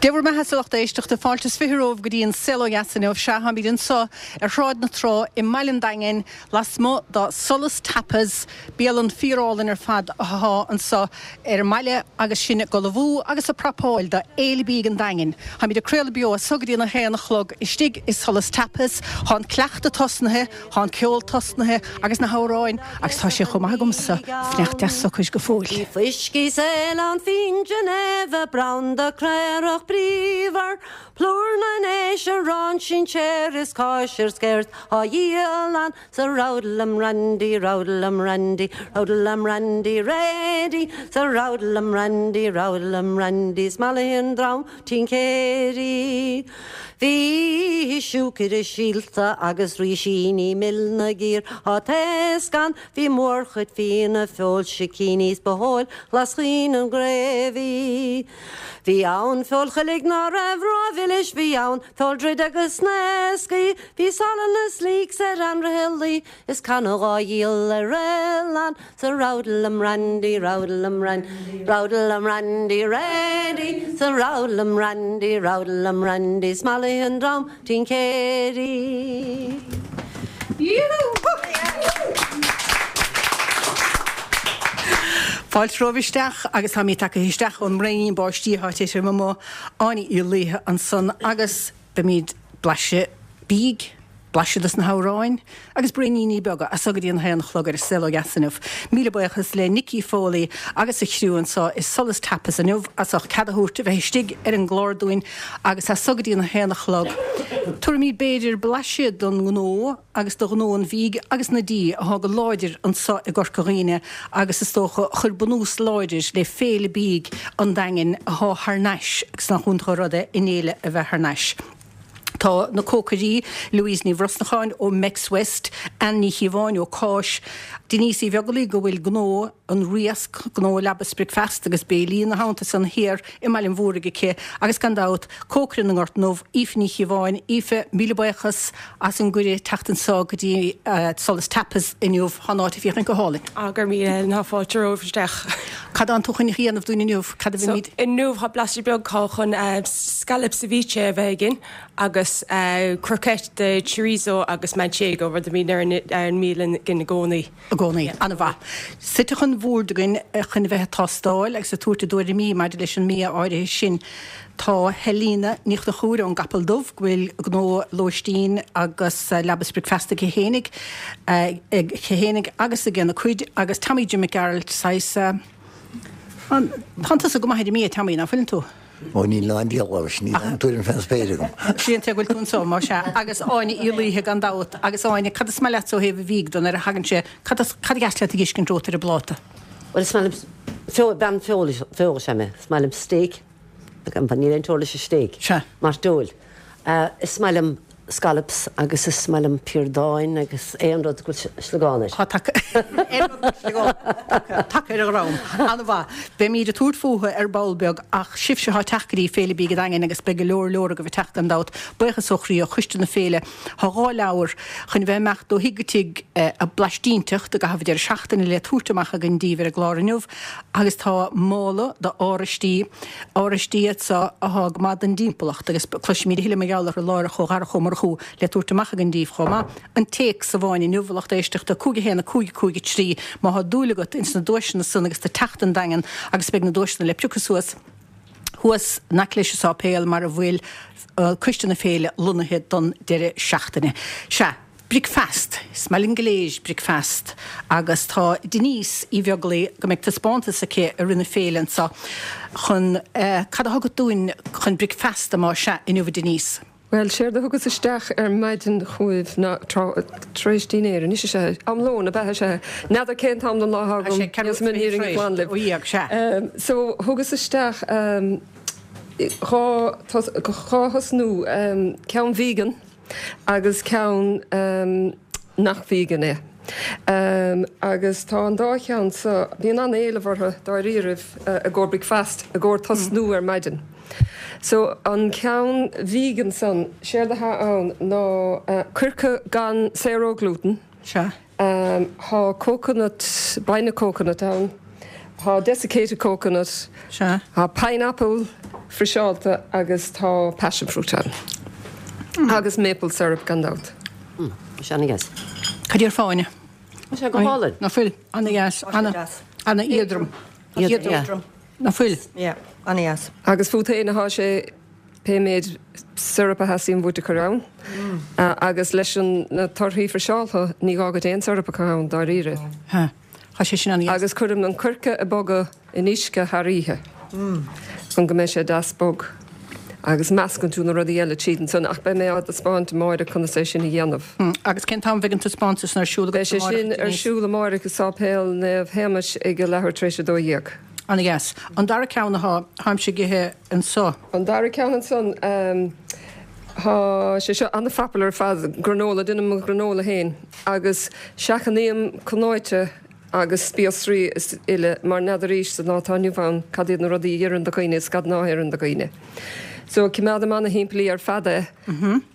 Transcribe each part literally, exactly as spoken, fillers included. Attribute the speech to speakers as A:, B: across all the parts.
A: Dé bhur mbeatha a lucht éisteachta fáilte is fiche romhaibh go dtí an Saol Ó Dheas inniu. Sea, táimid anseo ar Shráid na Trá i mBaile an Daingin lasmuigh de Solas Tapas, bialann fíorálainn ar fad atá anseo ar an mbaile agus sinn ag ullmhú agus ag prapáil do Fhéile Bídh an Daingin. Táimid ag craoladh beo as so go dtí an a haon a chlog istigh i Solas Tapas. Tá an cleachtadh tosnaithe, tá an ceol tosnaithe agus na hamhráin agus tá sé chomh maith agamsa fanacht deas socair go fóill.
B: Bhí fuiscí saol ann fiú Geneva, branda cléireach bríomhar, plúr na n-eis, arán sinséir is cáis ar sceirt á dhíol ann sa Rowdlam Randy, Rowdlam Randy, Rowdlam Randy Ready, sa Rowdlam Randy, Rowdlam Randy, 's mallaithe an dream tincéirí. Bhí siúcra síolta agus rísíní mil na gcíor á taoscán, bhí mórchuid fíona, feoil sicíní 's ba shóil ghlas chaoin an gravy. Bhí ann feoil choiligh ná raibh rómhilis, bhí ann feoil druid agus naoscaí, bhí salann is leeks ar ainmhithe luí is canna dhá dhíol ar oileán sa Rowdlam Randy, Rowdlam Randy, Rowdlam Randy Ready, sa Rowdlam Randy, Rowdlam Randy, 's mallaithe an dream tincéirí.
A: Fáilte romhaibh isteach agus táimid tagtha isteach ón mbraoinín báistí atá titim amuigh, Áine Uí Laoithe ansan agus beimid blaiseadh bídh, blaiseadh dos na hamhráin agus braoiníní beaga as so go dtí an haon a chlog ar an Saol Ó Dheas inniu. Míle buíochas le Nicky Foley agus a chriú anso i Solas Tapas inniu as ucht cead a thabhairt a bheith istigh ar an gclár dúinn agus as so go dtí an haon a chlog tabharfaimid b'fhéidir blaiseadh don ngnó agus do ghnó an bhídh agus na dí atá go láidir anso i gCorca Dhuibhne agus is dócha a chuir bunús láidir le Féile Bídh an Daingin atá thar n-ais agus nach iontach an rud é an fhéile a bheith thar n-ais. Tá na cócairí, Louise Ní Bhrosnacháin ó Mex West, Anne Ní Chíobháin ó Cáis, Denise Uí Bheaglaoich go bhfuil gnó an Riasc, gnó Leaba 's Bricfeasta agus béilí ina theannta san thiar i mBaile an Mhúraigh aici agus gan dabht, cócaire na nGort nDubh, Aoife Ní Chíobháin. Aoife, míle buíochas as an gcuireadh teacht anseo go dtí Solas Tapas inniu. Tá an áit ag féachaint go hálainn.
C: Á, go raibh míle, ná fáilte romhaibh isteach.
A: Cad atánn tú chun a dhéanamh dúinn inniu? Cad a bheimid.
C: So, inniu tá blaiseadh beag chun scallop ceviche a bheith againn agus croquette de chorizo agus manchego, rud a bhíonn ar an mbialann againn i gcónaí.
A: I gcónaí. An-mhaith. Suite chun bhoird againn chun a bheith ag tástáil agus ag tabhairt a dtuairimí maidir leis an mbia áirithe sin tá Helena Ní Chonchúir ón gCapall Dubh, go bhfuil gnó lóistín agus leaba 's bricfeasta aici fhéinig, aici fhéinig agus ag a cuid, agus Tommy Jim Mac Gearailt, saghas, Tánn tusa go maith ar an mbia, Tommy, ná fuileann tú?
D: Ó níl ná an diabhal leis, níl aon tuairim fén spéir agam.
A: Sin é go bhfuil tú anso, más ea. Agus Áine Uí Laoithe gan dabht. Agus Áine, cad is maith leatsa ó thaobh an bhídh de nuair a thagann sé, cad is, cad a dheas leat a dh'fheiscint romhat ar an bpláta?
B: Bhuel, is maith liom, feo, bean feola, feola is ea mé. Is maith liom steak, níl aon teora leis an steak.
A: Sea.
B: Mairteoil. Is maith liom scallops agus is maith liom piordáin agus aon rud go bhfuil sliogán air.
A: Tá taca aon rud go bhfuil sliogán taca ar a dhrom. An-mhaith. Beimid ag tabhairt fúthu ar ball beag ach sibhse atá ag teacht go dtí Féile Bídh an Daingin agus beidh go leor leor agaibh ag teacht gan dabht. Buíochas ó chroí ó Choiste na Féile. Tá dhá leabhar chun a bheith ag imeacht ó thigh go tigh ag blaistínteacht i gcaitheamh an deireadh seachtaine le tabhairt amach againn daoibh ar an gclár inniu agus tá mála d'oráistí, oráistí iad seo atá go maith don dtimpeallacht agus cloisfimid a thuilleadh mar gheall orthu láithreach ó Dharach Ó Murchú le tabhairt amach againn daoibh chomh maith. An téacs amháin inniu, a lucht éisteachta, cúig a haon a cúig a cúig a trí, má thá dúil agat ins na duaiseanna san agus tú ag teacht 'on Daingean agus beidh na duaiseanna le piocadh suas thuas in aice leis an sáipéal mar a bhfuil Coiste na Féile lonnaithe don deireadh seachtaine. Sea. Bricfeast. Is maith linn go léir bricfeast agus tá Denise Uí Bheaglaoi go mbeidh taispeántas aici i rith na féile anseo chun cad atá agat dúinn chun bricfeasta más ea inniu a Denise?
E: Bhuel, séard a thugas isteach ar maidin chugaibh ná tar éis dinnéir, anois is ea, am lóin, ab ea, is ea, n'fheadar cén t-am den lá atá
A: Tá
E: agam,
A: sé ceathrú
E: níl mé
A: tar
E: an
A: éis
E: glan libh.
A: ó dhéag, sea.
E: So, thugas isteach dhá, dhá thosnú, ceann vegan, agus ceann nach vegan é. Agus tá an dá cheann so, bíonn an-éileamh orthu dáiríribh i gcomhair bricfeast, i gcomhair tosnú ar maidin. So an ceann vegan san, séard atá ann ná coirce gan, saor ó glútan.
A: Sea.
E: Tá coconut, bainne coconut ann, tá desiccated coconut,
A: Sea.
E: tá pineapple, friseáilte agus tá passion fruit ann. Agus maple syrup gan dabht.
B: Sé an-deas.
A: Cad é fáinne?
B: Tá sé go hálainn.
A: Ná fuil, an-deas,
F: deas.
A: An-éadrom.
B: Éadrom.
A: Ná fuil.
F: Yeah, an-deas.
E: Agus fút féin atá sé pé méid syrup a theastaíonn uait a chur ann. Agus leis an na torthaí friseáilte ní gá duit aon syrup a chur ann dáiríre.
A: Ha. Tá sé sin an-deas.
E: Agus cuirim an coirce ag bogadh in uisce thar oíche. Chun go mbeidh sé deas bog. Agus meascann tú na rudaí eile tríd ansan ach beidh mé á dtaispeáint amárach conas é sin a dhéanamh.
A: Agus cén t-am bheidh an taispeántas sin ar siúl
E: Beidh sé sin ar siúl amárach i Sáipéal Naomh Shéamais ag a leathuair tar éis a dó dhéag.
A: An-deas. An dara ceann atá tháimse ag ithe anso.
E: An dara ceann ansan Tá sé seo an-popular ar fad granola déanaim mo granola féin agus seachnaím cnóite agus spíosraí is uile mar n'fheadar arís sa lá atá inniu ann cad iad na rudaí a oireann do dhaoine is cad ná hoireann do dhaoine. So cimeádaim an-shimplí ar fad é.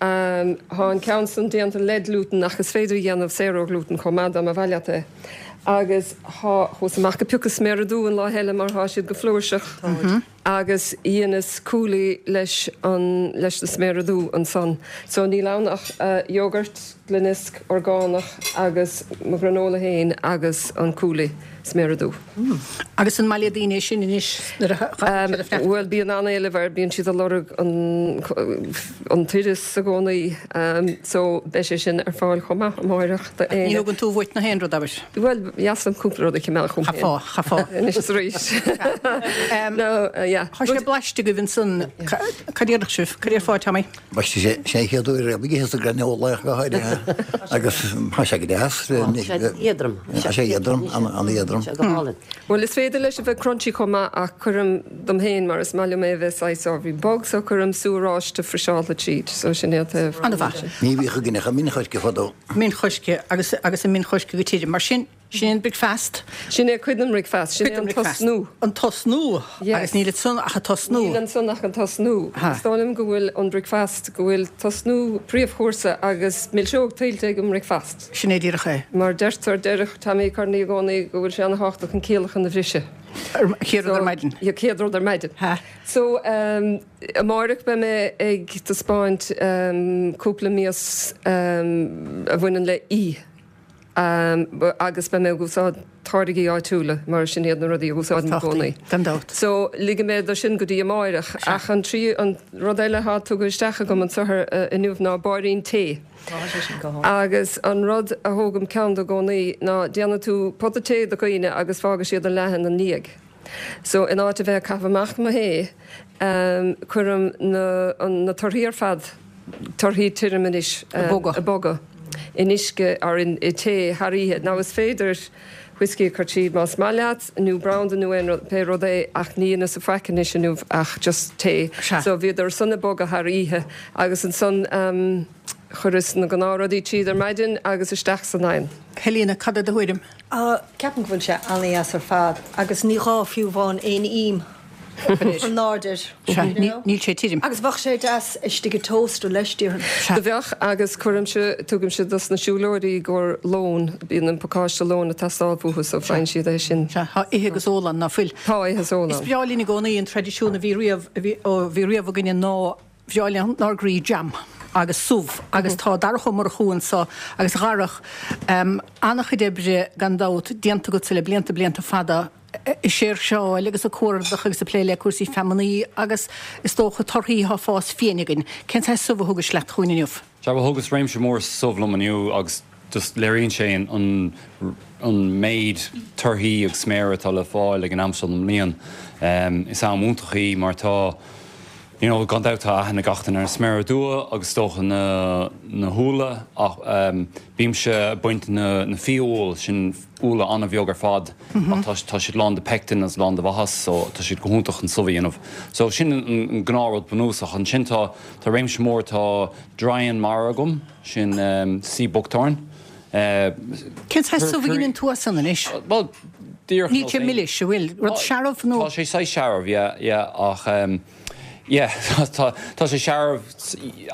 E: Tá an ceann san déanta le glúten ach is féidir a dhéanamh saor ó ghlúten chomh maith dá mba mhaith leat é. Agus thá chuas amach ag piocadh sméara dubha an lá eile mar thá siad go flúirseach. Agus dheineas coulis leis an leis na sméara dubha ansan. So níl ann ach yogurt, glionisc, orgánach agus mo granola féin agus an coulis sméara dubha.
A: Agus an maith le daoine é sin anois nuair a
E: Bhuel bíonn an-éileamh air, bíonn siad ag lorg an an t-oideas i gcónaí so beidh sé sin ar fáil chomh maith amárach do
A: Ní
E: éinne.
A: thugann tú uait na haon rud abair?
E: Bhuel dheas liom cúpla rud a choimeád chugam
A: Cha fá, cha fá.
E: Anois is arís. No, yeah.
A: Tá sé blaiste agaibh ansan, cad déarfadh sibh? Cad déarfá Tommy?
D: Bhuel sé sé an chéad uair riamh ag ithe sa granola go háirithe agus tá sé go deas.
B: Tá sé éadrom.
D: Tá sé éadrom, an-éadrom.
B: Sé go hálainn.
E: Bhuel is féidir leis a bheith crunchy chomh maith ach cuirim dom féin mar is maith liom é a bheith saghas ábhairín bog so cuirim sú oráiste friseáilte tríd so sin é an taobh.
A: An-mhaith.
D: Ní bhíodh againn ach an mionchoisce fadó.
A: Mionchoisce agus agus an mionchoisce go tirim. Mar sin sin é an bricfeast.
E: Sin é cuid den bricfeast, sin é an tosnú.
A: An tosnú
E: Yes.
A: agus níl ansan ach an tosnú.
E: Níl ansan ach an tosnú.
A: Ha.
E: Is dóigh liom go bhfuil an bricfeast go bhfuil tosnú príomhchúrsa agus milseog tuillte ag an mbricfeast.
A: Sin é díreach é.
E: Mar deirtear deireadh Tommy Kearney i gcónaí go bhfuil sé an-tábhachtach an céalacan a bhriseadh.
A: Chéad rud ar maidin.
E: Ja, chéad rud ar maidin.
A: Ha.
E: So um, amárach beidh mé ag taispeáint um, cúpla mias um, a bhaineann le í. Um, agus beidh mé ag úsáid táirgí áitiúla mar sin iad na rudaí a úsáidim i gcónaí.
A: Gan dabht.
E: So ligfidh mé do sin go dtí amárach ach an trí an rud eile atá tugtha isteach agam anseo uh, inniu ná bairín tae. Agus an rud a thógaim ceann de i gcónaí ná déanann tú pota tae do dhaoine agus fágann siad an leath ina ndiaidh. So in áit a bheith ag caitheamh amach mo thae, um, cuirim na, an, na torthaí ar fad torthaí tirim anois
A: A bogadh.
E: a bogadh in uisce ar in i tae thar oíche. Now is féidir whisky a chur tríd más maith leat, nó brandy nó aon rud pé rud é ach ní ina sa faic anois inniu ach just tae.
A: Sea.
E: So bhíodar san ag bogadh thar oíche agus ansan um, chuireas na gnáthrudaí tríd ar maidin agus isteach san oigheann.
A: Helena, cad é do thuairim?
F: Ceapaim go bhfuil sé an-deas ar fad agus ní gá fiú amháin aon im an náidir.
A: Sea, níl sé tirim.
F: Agus bheadh sé deas istigh i toaster leis déarfainn.
E: Do bheadh agus cuirimse tugaimse dos na siúlóirí gur lón bíonn an pacáiste lóin ag teastáil uathu so faigheann siad é sin.
A: Sea, tá ithe agus ól ann ná fuil.
E: Tá ithe is ól ann.
A: Is breá linn i gcónaí an traidisiún a bhí riamh a bhí ó bhí riamh againne ná bhreá linn nár gcroí jam agus subh agus tá Darach Ó Murchú anseo agus Dharach um, an-chuid oibre gan dabht déanta agat le blianta blianta fada i séirseáil agus ag cuardach agus ag plé le cúrsaí feamainní agus is dócha torthaí atá ag fás fiáin againn. Cén saghas subh a thugais leat chugainn inniu?
G: Sea, bhuel thugas réimse mór subh liom inniu agus just léiríonn sé an an méid torthaí agus sméara atá le fáil ag an am seo den mbliain. Um, is am iontach í mar tá you know, gan dabht tá aithne ag gach duine ar an sméara dubha agus dócha na, na húlla ach um, bímse ag baint na, na fí-úll sin úlla an-bheag ar fad ach tá, tá siad lán de pectin agus lán de mhaitheas so tá siad go hiontach chun subh a dhéanamh. So sin an, an gnáthrud bunúsach ansin tá tá réimse mór tá draighean mara agam sin um, sea buckthorn. Uh,
A: Cén saghas subh a dhéanann tú as san anois?
G: Well, díreach
A: Níl sé milis, an bhfuil, rud searbh nó?
G: Tá sé saghas searbh, yeah, yeah, ach um, yeah, tá tá sé searbh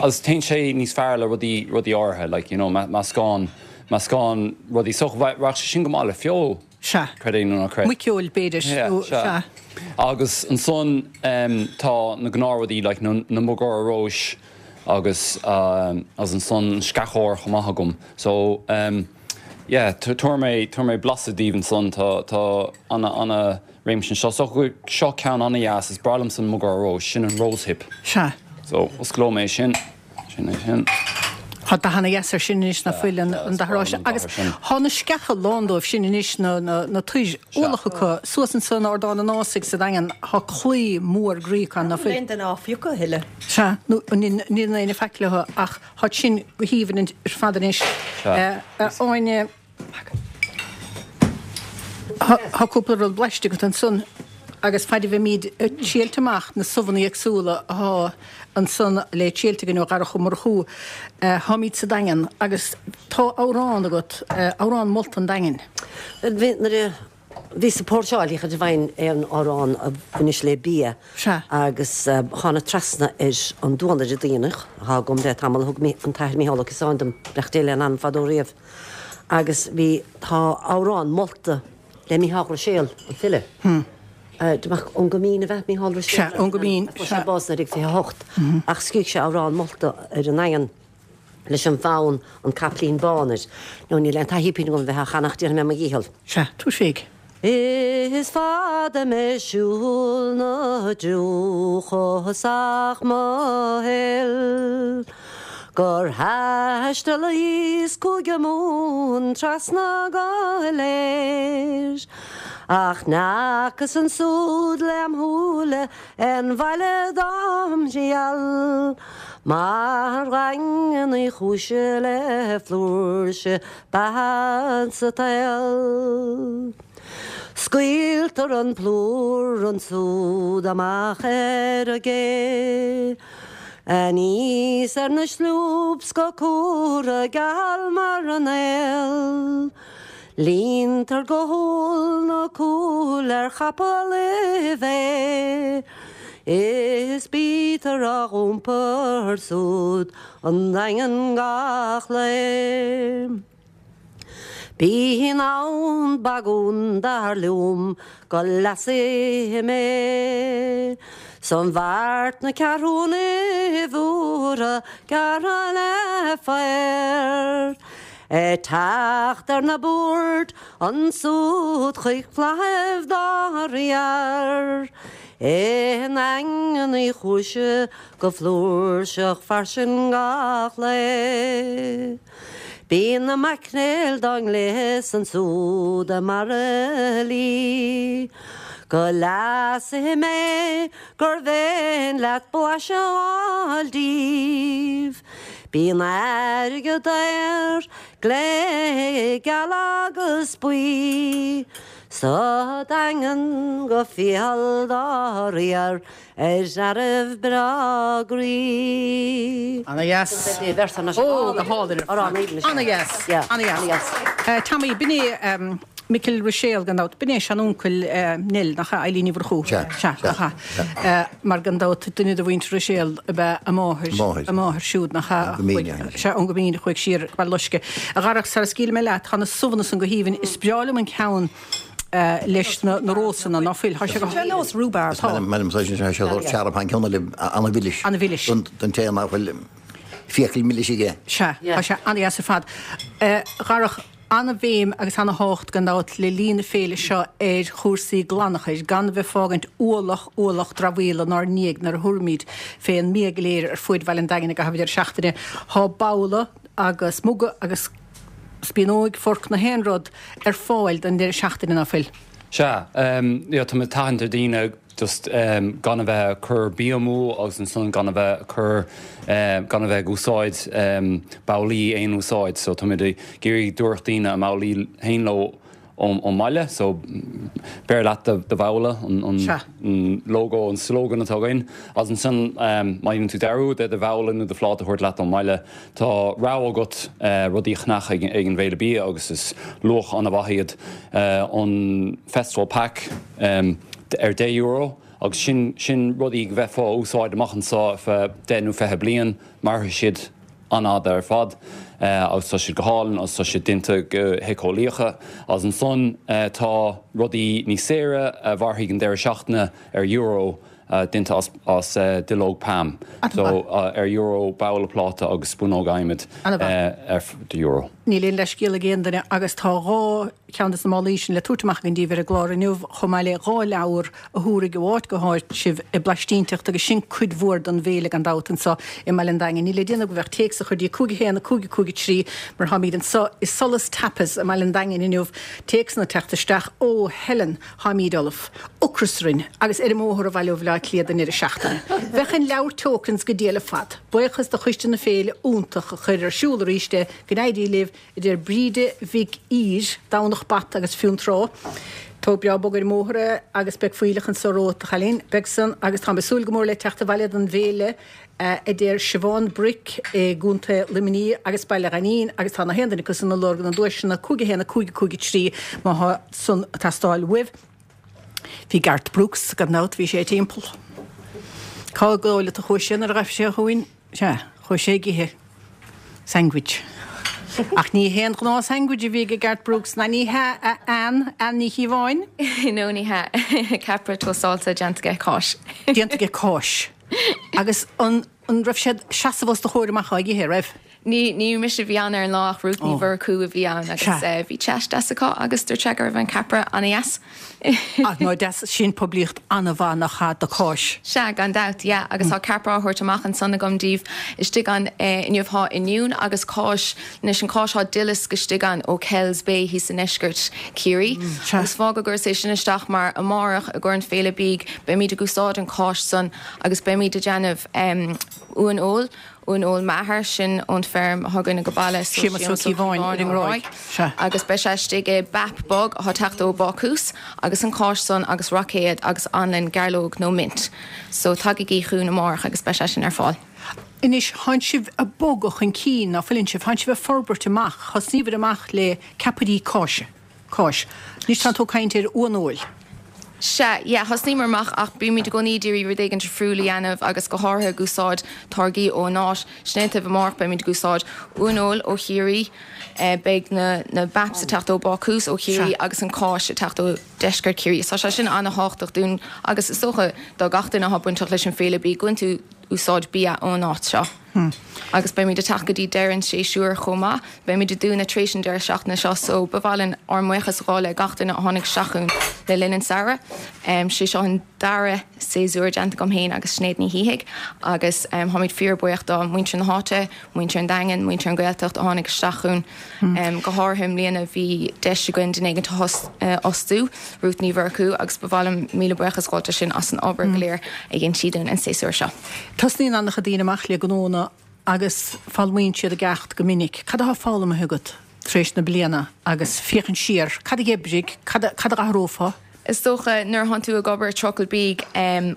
G: agus téann sé níos fearr le rudaí rudaí áirithe, like, you know, meascán meascán rudaí so raghadh sé sin go maith le feoil
A: Sea.
G: Creid é nó ná creid.
A: Muiceoil, b'fhéidir, nó, sea.
G: Agus ansan tá na gnáthrudaí like na na muga arróis agus agus ansan sceach óir chomh maith agam. So yeah, tabharfaidh mé tabharfaidh mé blaiseadh daoibh ansan, tá tá ana ana réimse anseo. So seo ceann ana dheas, is breá liomsa an muga arróis, sin an rose hip.
A: Sea.
G: So osclóidh mé sin, sin é sin.
A: Tá dath ana dheas air sin anois ná fuil, an dath oráiste. Agus tá na sceacha lán dóibh sin anois, na na toir, ualach acu suas ansan Ardán an Ásaigh sa Daingean, tá claí mór groí acu ná fuil.
F: Níl aon duine á phiocadh a thuilleadh.
A: Sea, nó níl éinne ag faic leo ach tá sin go haoibhinn ar fad anois. Sea. Áine, Tá cúpla rud blaiste agat ansan agus faid a bheimíd ag triailt amach na subhanna éagsúla athá ansan le triailt againn ó Dharach Ó Murchú, táimíd sa Daingean agus tá amhrán agat, amhrán molta an Daingin.
B: Bhuel, bhí, nuair a bhíos ag póirseáil, ní chuid a bhfaighinn aon amhrán a bhaineas le bia
A: Sea.
B: agus thána trasna ar an Duanaire Duibhneach athá agam le tamall, thug an tAthair Mícheál Ó Ciosáin dom, beannacht Dé lena anam fadó riamh. Agus bhí, tá amhrán molta le Mícheál Ruiséal, an file. Amach ón gCoimín ab ea Mícheál Ruiséal?
A: Sea, ón gCoimín,
B: sea. Fuair sé bás naoi déag fiche a hocht, ach scrígh sé amhrán molta ar an nDaingean leis an bhfonn An Capaillín Bán air. Nó níl aon taithí pinn agam a bheith á chanadh ach déanfaidh mé mo dhícheall.
A: Sea, tabhair fé.
B: Is fada mé siúl na dtreo thosach mo shaoil Gur thaistealaíos Cúige Mumhan trasna go léir Ach n'fhacas ansúd lem shúile aon bhaile dom thriall Mar Dhaingean Uí Chúis le flúirse beatha sa tsaol. Scaoiltear an plúr ansúd amach ar an gcé, Aníos ar na sloops go cumhra geal mar an néal. Líontar go humhal na cúil ar chapallaibh é, Is bítear á iompar súd 'on Daingean gach lae. Bíonn ann bagún dar liom go leasaithe mé 'S an mhairt na ceathrún úra gearrtha le féar Ag teacht ar na boird ansúd chuig flathaibh dá riar I nDaingean Uí Chúise go flúirseach fairsing gach lae. Bíonn na maicréil dá ngléas ansúd i mbairillí Go leasaithe mé gur mhian leat blaiseadh a fháil díobh. Bíonn airgead air, glé, geal agus buí, Sa Daingean go fial dá riar ar fhearaibh breá groí.
A: Ana dheas. Ó, go hálainn ar fad. Ana dheas. Ana dheas. Tommy, b'in é Micil Ruiséal gan dabht. B'in é seanuncail Nell, nach ea? Eilín Ní Mhurchú.
D: Sea.
A: Sea, nach ea? Mar gan dabht, duine de mhuintir Ruiséal ab ea a máthair.
D: Máthair.
A: A máthair siúd, nach ea?
D: Ón gCoimín.
A: Sea, ón gCoimín a chuaigh siar go Baile Loiscthe. A Dharach, sara scaoilfidh mé leat, tá na subhanna san go haoibhinn. Is breá liom an ceann leis na rósanna, ná fuil? Tá sé go.
F: Tá sé nós rhubarb.
A: Tá.
D: Measaim sin sé sórt searbh an ceann eile ana-mhilis.
A: Ana-mhilis.
D: Don té nach bhfuil fiacail milis aige.
A: Sea, tá sé ana-dheas ar fad. A Dharach, ana-bhéim agus ana-thábhacht gan dabht le linn na féile seo ar chúrsaí glanachair, gan a bheith fágaint ualach, ualach dramhaíola 'nár ndiaidh nuair a thabharfaimid fé an mbia go léir ar fuaid Bhaile an Daingin i gcaitheamh an deireadh seachtaine. Tá babhla agus muga agus spíonóg, forc, na haon rud ar fáil don deireadh seachtaine, ná fuil?
G: Sea, yeah, tá mé ag tathant ar daoine just gan a bheith ag cur bia amú agus ansan gan a bheith ag cur, gan a bheith ag úsáid babhlaí aon úsáid. So tá muid ag iarraidh go dtabharfadh daoine a mbabhlaí féin leo ón mbaile so beir leat do bhabhla, an logo, an slogan atá againn agus ansan má dhéanann tú dearúd ar do bhabhla nó do phláta a thabhairt leat ón mbaile tá rogha agat rudaí a cheannach ag an bhFéile Bia agus is luach an-mhaith iad an Festival Pack ar deich euro agus sin sin rudaí go bheifeá a úsáid amach anseo ar feadh deich nó fiche bliain, mairfidh siad. an-fhada ar fad agus tá siad go hálainn agus tá siad déanta go héiceolaíoch. Agus ansan tá rudaí níos saoire a mhairfidh an deireadh seachtaine ar euro déanta as as duilleog paim. So ar euro babhla pláta agus spúnóg adhmaid ar do euro.
A: Níl aon leithscéal ag aon duine agus tá dhá cheann de na málaí sin le tabhairt amach againn daoibh ar an gclár inniu, chomh maith le dhá leabhar a thabharfaidh ó áit go háit sibh ag blaistínteacht agus sin cuid mhór den bhféile gan dabht anseo i mBaile an Daingin. Níl le déanamh agaibh ach téacs a chur dtí cúig a haon, a cúig, a cúig a trí mar táimid anseo i Solas Tapas i mBaile an Daingin inniu. Téacsanna ag teacht isteach ó Helen, táimid ullamh. Ocras orainn agus ar an mbóthar abhaile ó Bhaile Átha Cliath don ndeireadh seachtaine. Bheadh an leabhar tokens go diail ar fad. Buíochas do choiste na féile iontach a chuir ar siúl arís é, go n-éirí libh, a deir Bríde Mhic Ír, Domhnach Bat agus Fionntrá. Tóg breá bog ar an mbóthar é agus beidh fuílleach anso romhat, a chailín. Beidh san agus táim ag súil go mór le teacht abhaile don bhféile, a deir Siobhán Bric i gContae Luimnigh agus Baile Ghainín agus tá na haon duine acu san ag lorg na nduaiseanna, cúig a haon, a cúig, a cúig a trí má thá san ag teastáil uaibh. Bhí Garth Brooks, gan dabht, bhí sé timpeall. Cá dóigh leat a chuaigh sé nuair a ghaibh sé chugainn? Sea, chuaigh sé ag ithe sandwich. Ach ní haon ghnáth sandwich a bhí ag Garth Brooks, ná ní hea, a Ann, Ann Ní Chíobháin?
H: No, ní hea. Ceapaire tóstáilte déanta de cáis.
A: Déanta de cáis. Agus an an raibh siad seasamh os do chomhair amach á ithe, raibh?
H: Ní ní mise a bhí ann ar an lá ach Ruth Ní Mhurchú a bhí ann agus bhí chat deas acu agus dúirt sé go raibh an ceapaire an-dheas.
A: Ach ná deas, sin poiblíocht an-mhaith nach ea do cáis.
H: Sea, gan dabht, yeah, agus tá ceapaire á thabhairt amach ansan agam daoibh istigh ann inniu thá oinniún agus cáis, anois an cáis thá duileasc istigh ann ó Kells Bay thíos i ndeisceart Chiarraí. Agus fáth go gcuireas é sin isteach mar amárach i gcomhair an Féile Bídh beimid ag úsáid an cáis san agus beimid ag déanamh uaineoil, uaineoil m'athar, sin ón feirm atá againne go baile, so
A: Séamus Ó Cíobháin ar an nGráig. Sea.
H: Agus beidh sé istigh i bap bog atá teacht ó bácús agus an cáis san agus roicéad agus anlann gairleog nó mint. So tagaigí chugainn amárach agus beidh sé sin ar fáil.
A: Anois, thánn sibh ag bogadh chun cinn, ná fuileann sibh? Thánn sibh ag forbairt amach, thosnaíobhair amach le ceapairí cáise. Cáis. Anois tá tú ag caint ar uaineoil.
H: Sea, yeah, thosnaíomar amach ach bímid i gcónaí ag iarraidh rud éigin difriúil a dhéanamh agus go háirithe ag úsáid táirgí ón áit. Sin é an taobh amárach beimid ag úsáid uaineoil ó Chiarraí, beidh na na baps ag teacht ó bácús ó Chiarraí agus an cáis ag teacht ó deisceart Chiarraí. Tá sé sin an-thábhachtach dúinn agus is dócha do gach duine atá bainteach leis an Féile Bídh go bhfuil tú úsáid bia ón áit seo. Agus beimid ag teacht go dtí deireadh an tséasúir chomh maith. Beimid ag dúnadh tar éis an deireadh seachtaine seo so ba mhaith linn ár mbuíochas a ghabháil le gach duine a tháinig isteach chugainn le linn an samhradh. Sé seo an dara séasúr déanta agam féin agus Sinéad Ní Shíthigh agus táimid fíor-bhuíoch do mhuintir na háite, muintir an Daingin, muintir an Ghaeltacht a tháinig isteach chugainn. Go háirithe i mbliana bhí deis againn duine éigin a fhostú, Ruth Ní Mhurchú, agus ba mhaith liom míle buíochas a ghabháil di sin as an obair go léir a dhein sí dúinn an séasúr seo.
A: Tosnaíonn an-chuid daoine amach le gnónna agus foghlaimíonn siad a gceacht go minic. Cad atá foghlamtha agat tar éis na bliana agus féachaint siar? Cad a d'oibrigh? Cad a d'athrófá?
H: Is dócha nuair a thánn tú ag obair i Trucail Bídh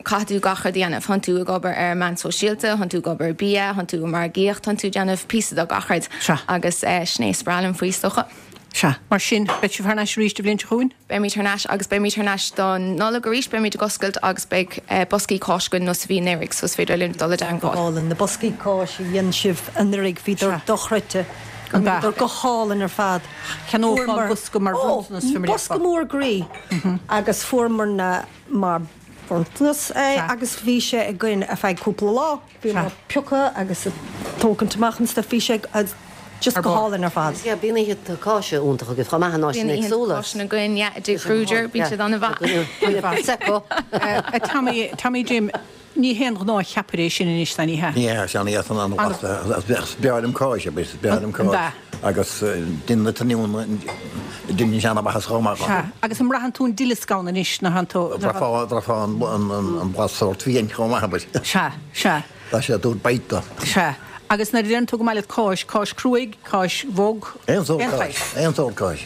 H: caithfidh tú gach rud a dhéanamh. Thánn tú ag obair ar meáin sóisialta, thánn tú ag obair bia, thánn tú ag margaíocht, thánn tú ag déanamh píosa de gach rud agus sin é is breá liom faoi is dócha.
A: Sea. Mar sin, beidh sibh thar n-ais arís an bhliain seo chugainn?
H: Beimid thar n-ais agus beimid thar n-ais don Nollaig arís. Beimid ag oscailt agus beidh boscaí cáis againn nós a bhí anuraidh so is féidir linn dul i dteangmháil.
F: Go hálainn. Na boscaí cáis a dhein sibh anuraidh, bhíodar dochreidte. Bhíodar go hálainn ar fad.
A: Cheannófá bosca mar bhronntanas fá mar
F: Bosca mór groí agus fuaireamarna mar bhronntanas é agus bhí sé againn ar feadh cúpla lá. Bhíomar ag piocadh agus ag tógaint amach an stuif. Bhí sé just go hálainn ar fad.
B: Yeah, bíonn oícheanta cáise iontach agaibh chomh maith in áiteanna
H: Bíonn oícheanta
B: éagsúla.
H: cáise againn, yeah, i dTigh Kruger, bíonn siad an-mhaith.
B: Prosecco.
A: Tommy, Tommy Jim, ní haon ghnáth-cheapaire é sin anois, ná ní hea?
D: Ní hea, sea, ní hea, san an-bhlasta. Is breá liom cáis, is breá liom cáis.
A: An ea?
D: Agus déanann na t-oinniún, déanann sé an-mhaitheas chomh maith.
A: Sea, agus an mbraitheann tú an duileasc ann anois, nuair atánn tú.
D: Bhraithfeá, bhraithfeá an blas sórt fiáin chomh maith, abair.
A: Sea, sea.
D: Tá sé dúr baita.
A: Sea. Agus nuair a deireann tú go maith leat cáis, cáis cruaidh, cáis bhog,
D: Aon sórt cáis. Aon sórt cáis.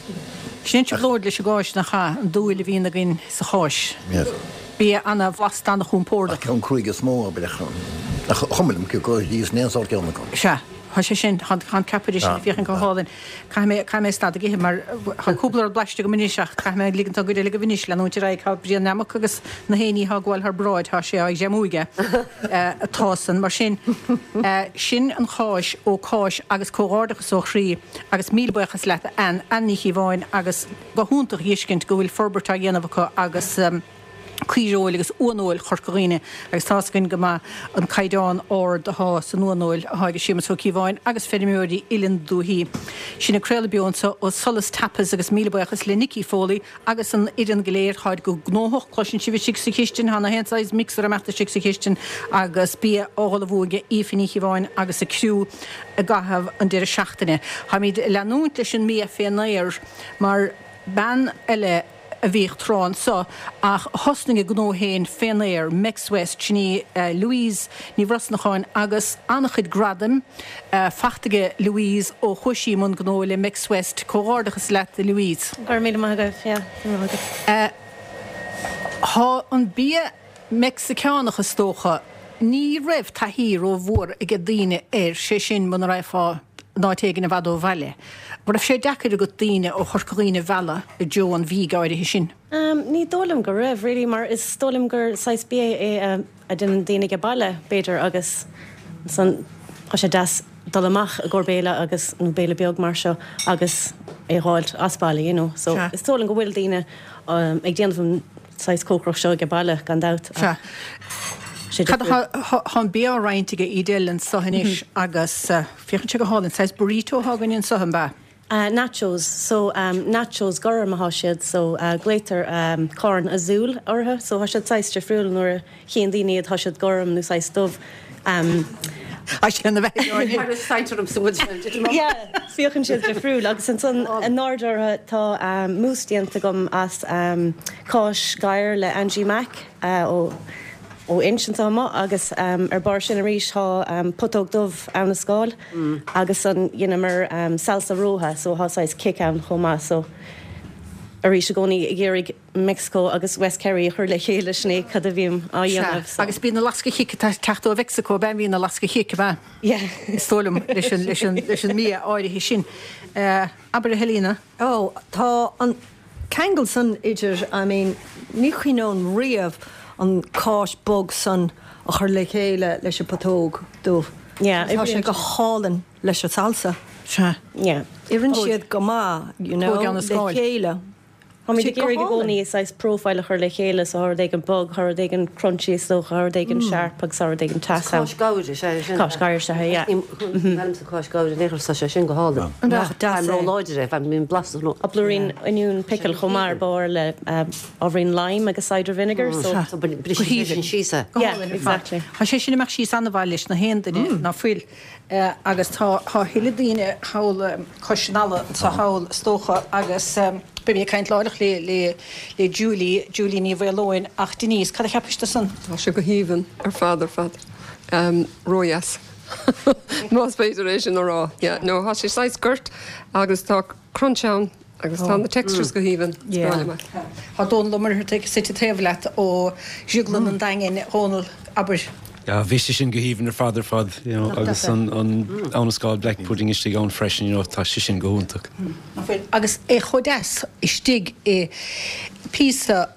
A: Sin an trioblóid leis an gcáis nach ea, an dúil a bhíonn againn sa cháis.
D: Yes.
A: Bia ana-bhlasta, ana-chompordach.
D: Ach ceann cruaidh is mó, abair, ach chuma liom cé acu a thíos in aon sórt ceann acu.
A: Sea. Tá sé sin an ceapaide sin féachann go hálainn. Caithfidh mé stad ag ithe mar tá cúpla rud blaiste agam anois ach caithfidh mé ligint don gcuid eile agaibh anois leanúint ar aghaidh. Tá Brian Nammock agus na héinní atá ag gabháil thar bráid, tá sé á ghreamú aige atá san. Mar sin, sin an cháis ó Cáis agus comhghairdeachas ó chroí agus míle buíochas leat Ann, Ann Ní Chíobháin agus go hiontach a fheiscint go bhfuil forbairt á dhéanamh acu agus caoireoil agus uaineoil Chorca Dhuibhne agus tá's againn go maith an caighdeán ard atá san uaineoil atá ag Séamus Ó Cíobháin agus feirmeoirí uile na dúichí. Sinn ag craoladh beo anseo ó Solas Tapas agus míle buíochas le Nikki Foley agus an fhoireann go léir. Táid go gnóthach, cloiseann sibh istigh sa chistin, tá na haon saghas mixer amach istigh sa chistin agus bia á ullmhú ag Aoife Ní Chíobháin agus a criú i gcaitheamh an deireadh seachtaine. Táimid ag leanúint leis an mbia fén aer mar bean eile a bhíodh tráth anso ach thosnaigh a gnó féin fén aer, Mex West, sin í Louise Ní Bhrosnacháin agus an-chuid gradaim faighte aige Louise ó chuaigh sí i mbun gnó le Mex West. Comhghairdeachas leat a Louise.
I: Go raibh míle maith agaibh, yeah, go raibh maith agat.
A: Tá an bia Meicsiceánach is dócha, ní raibh taithí rómhór aige daoine air, sé sin muna raghfá in áit éigin i bhfad ó bhaile. An raibh sé deacair agat daoine ó Chorca Dhuibhne a mhealladh i dtreo an bhídh áirithe sin?
I: Ní dóigh liom go raibh, really, mar is dóigh liom gur saghas bia é a déanann daoine age baile, b'fhéidir, agus ansan tá sé deas dul amach i gcomhair béile agus, nó béile beag mar seo agus é a dh'fháilt as baile, you know. So is dóigh liom go bhfuil daoine ag déanamh an saghas cócaireacht seo age baile, gan dabht, ach sé
A: Cad atá, tá an bia á roinnt aige Edel anso anois agus féachann sé go hálainn, saghas burrito atá againn anso, an b'ea?
I: Nachos, so nachos gorm atá siad, so glaotar corn azul orthu, so tá siad saghas difriúil nuair a chíonn daoine iad, tá siad gorm nó saghas dubh.
A: Tá sé ina bheith
B: Mar is saighdear orm sa bhfuil sé.
I: Yeah, féachann siad difriúil agus ansan in airde orthu tá mousse déanta agam as cáis gadhair le Angie Mack ó ó Inch anseo amuigh agus ar barr sin arís tá putóg dubh Abha na Scáil agus an dheineamar salsa roja so tá saghas kick ann chomh maith so arís i gcónaí ag iarraidh Mexico agus West Kerry a chur le chéile sin é cad a bhím á dhéanamh
A: so. Agus bíonn na lasca chic ag teacht ó Mheicsiceo ab ea? Bíonn na lasca chic ab ea?
I: Yeah.
A: Is dóigh liom leis an leis an leis an mbia áirithe sin. Abair a Helena.
F: Oh tá an ceangal san idir, I mean, ní chuimhneoinn riamh an cáis bog san a chur le chéile leis an putóg dubh.
I: Yeah,
F: Tá sé go hálainn leis an salsa.
A: Sea.
I: Yeah.
F: Oireann siad go maith, you know,
A: Tóg
F: le
A: scáil.
F: chéile.
I: Táimid
F: Tá
I: ag
F: sé go
I: iarraidh i
F: hálainn.
I: gcónaí saghas profile a chur le chéile, so tá rud éigin bog, tá rud éigin crunchy is dócha, tá rud éigin sharp agus tá rud éigin teas ann.
B: Cáis gabhair is ea é sin.
I: Cáis gabhair is ea é, yeah.
B: Ní liomsa cáis gabhair in aon chor, tá sé sin go hálainn.
F: Nach deas
B: Faighim
F: é.
B: ró-láidir é, faighim blas nó.
I: Tá blúirín oinniún pickle chomh maith ar barr le ábhairín lime agus cider vinegar, so.
B: So briseann sé sin síos é.
A: Go
I: Yeah,
A: hálainn ar fad.
I: exactly.
A: Tá sé sin ag imeacht síos an-mhaith leis na haon duine ná fuil. Agus tá tá thuilleadh daoine thall cois an fhalla anseo thall is dócha agus beidh mé ag caint láithreach le le le Julie, Julie Ní Mhaoileoin ach Denise, cad a cheapais de san?
E: Tá sé go haoibhinn ar fad ar fad. Ródheas. Más féidir é sin a rá. Yeah, no, tá sé saghas goirt agus tá crunch ann agus tá na textures go haoibhinn. Is breá liom é.
A: Tá Dónal Ó Muircheartaigh suite taobh leat ó Bhialann an Daingin, Dhónal, abair.
J: Yeah, bhí sé sin go haoibhinn ar fad ar fad, you know, agus an an Abha na Scáil black pudding istigh ann freisin, you know, tá sé sin go hiontach.
A: Nach bhfuil? Agus é chomh deas istigh i píosa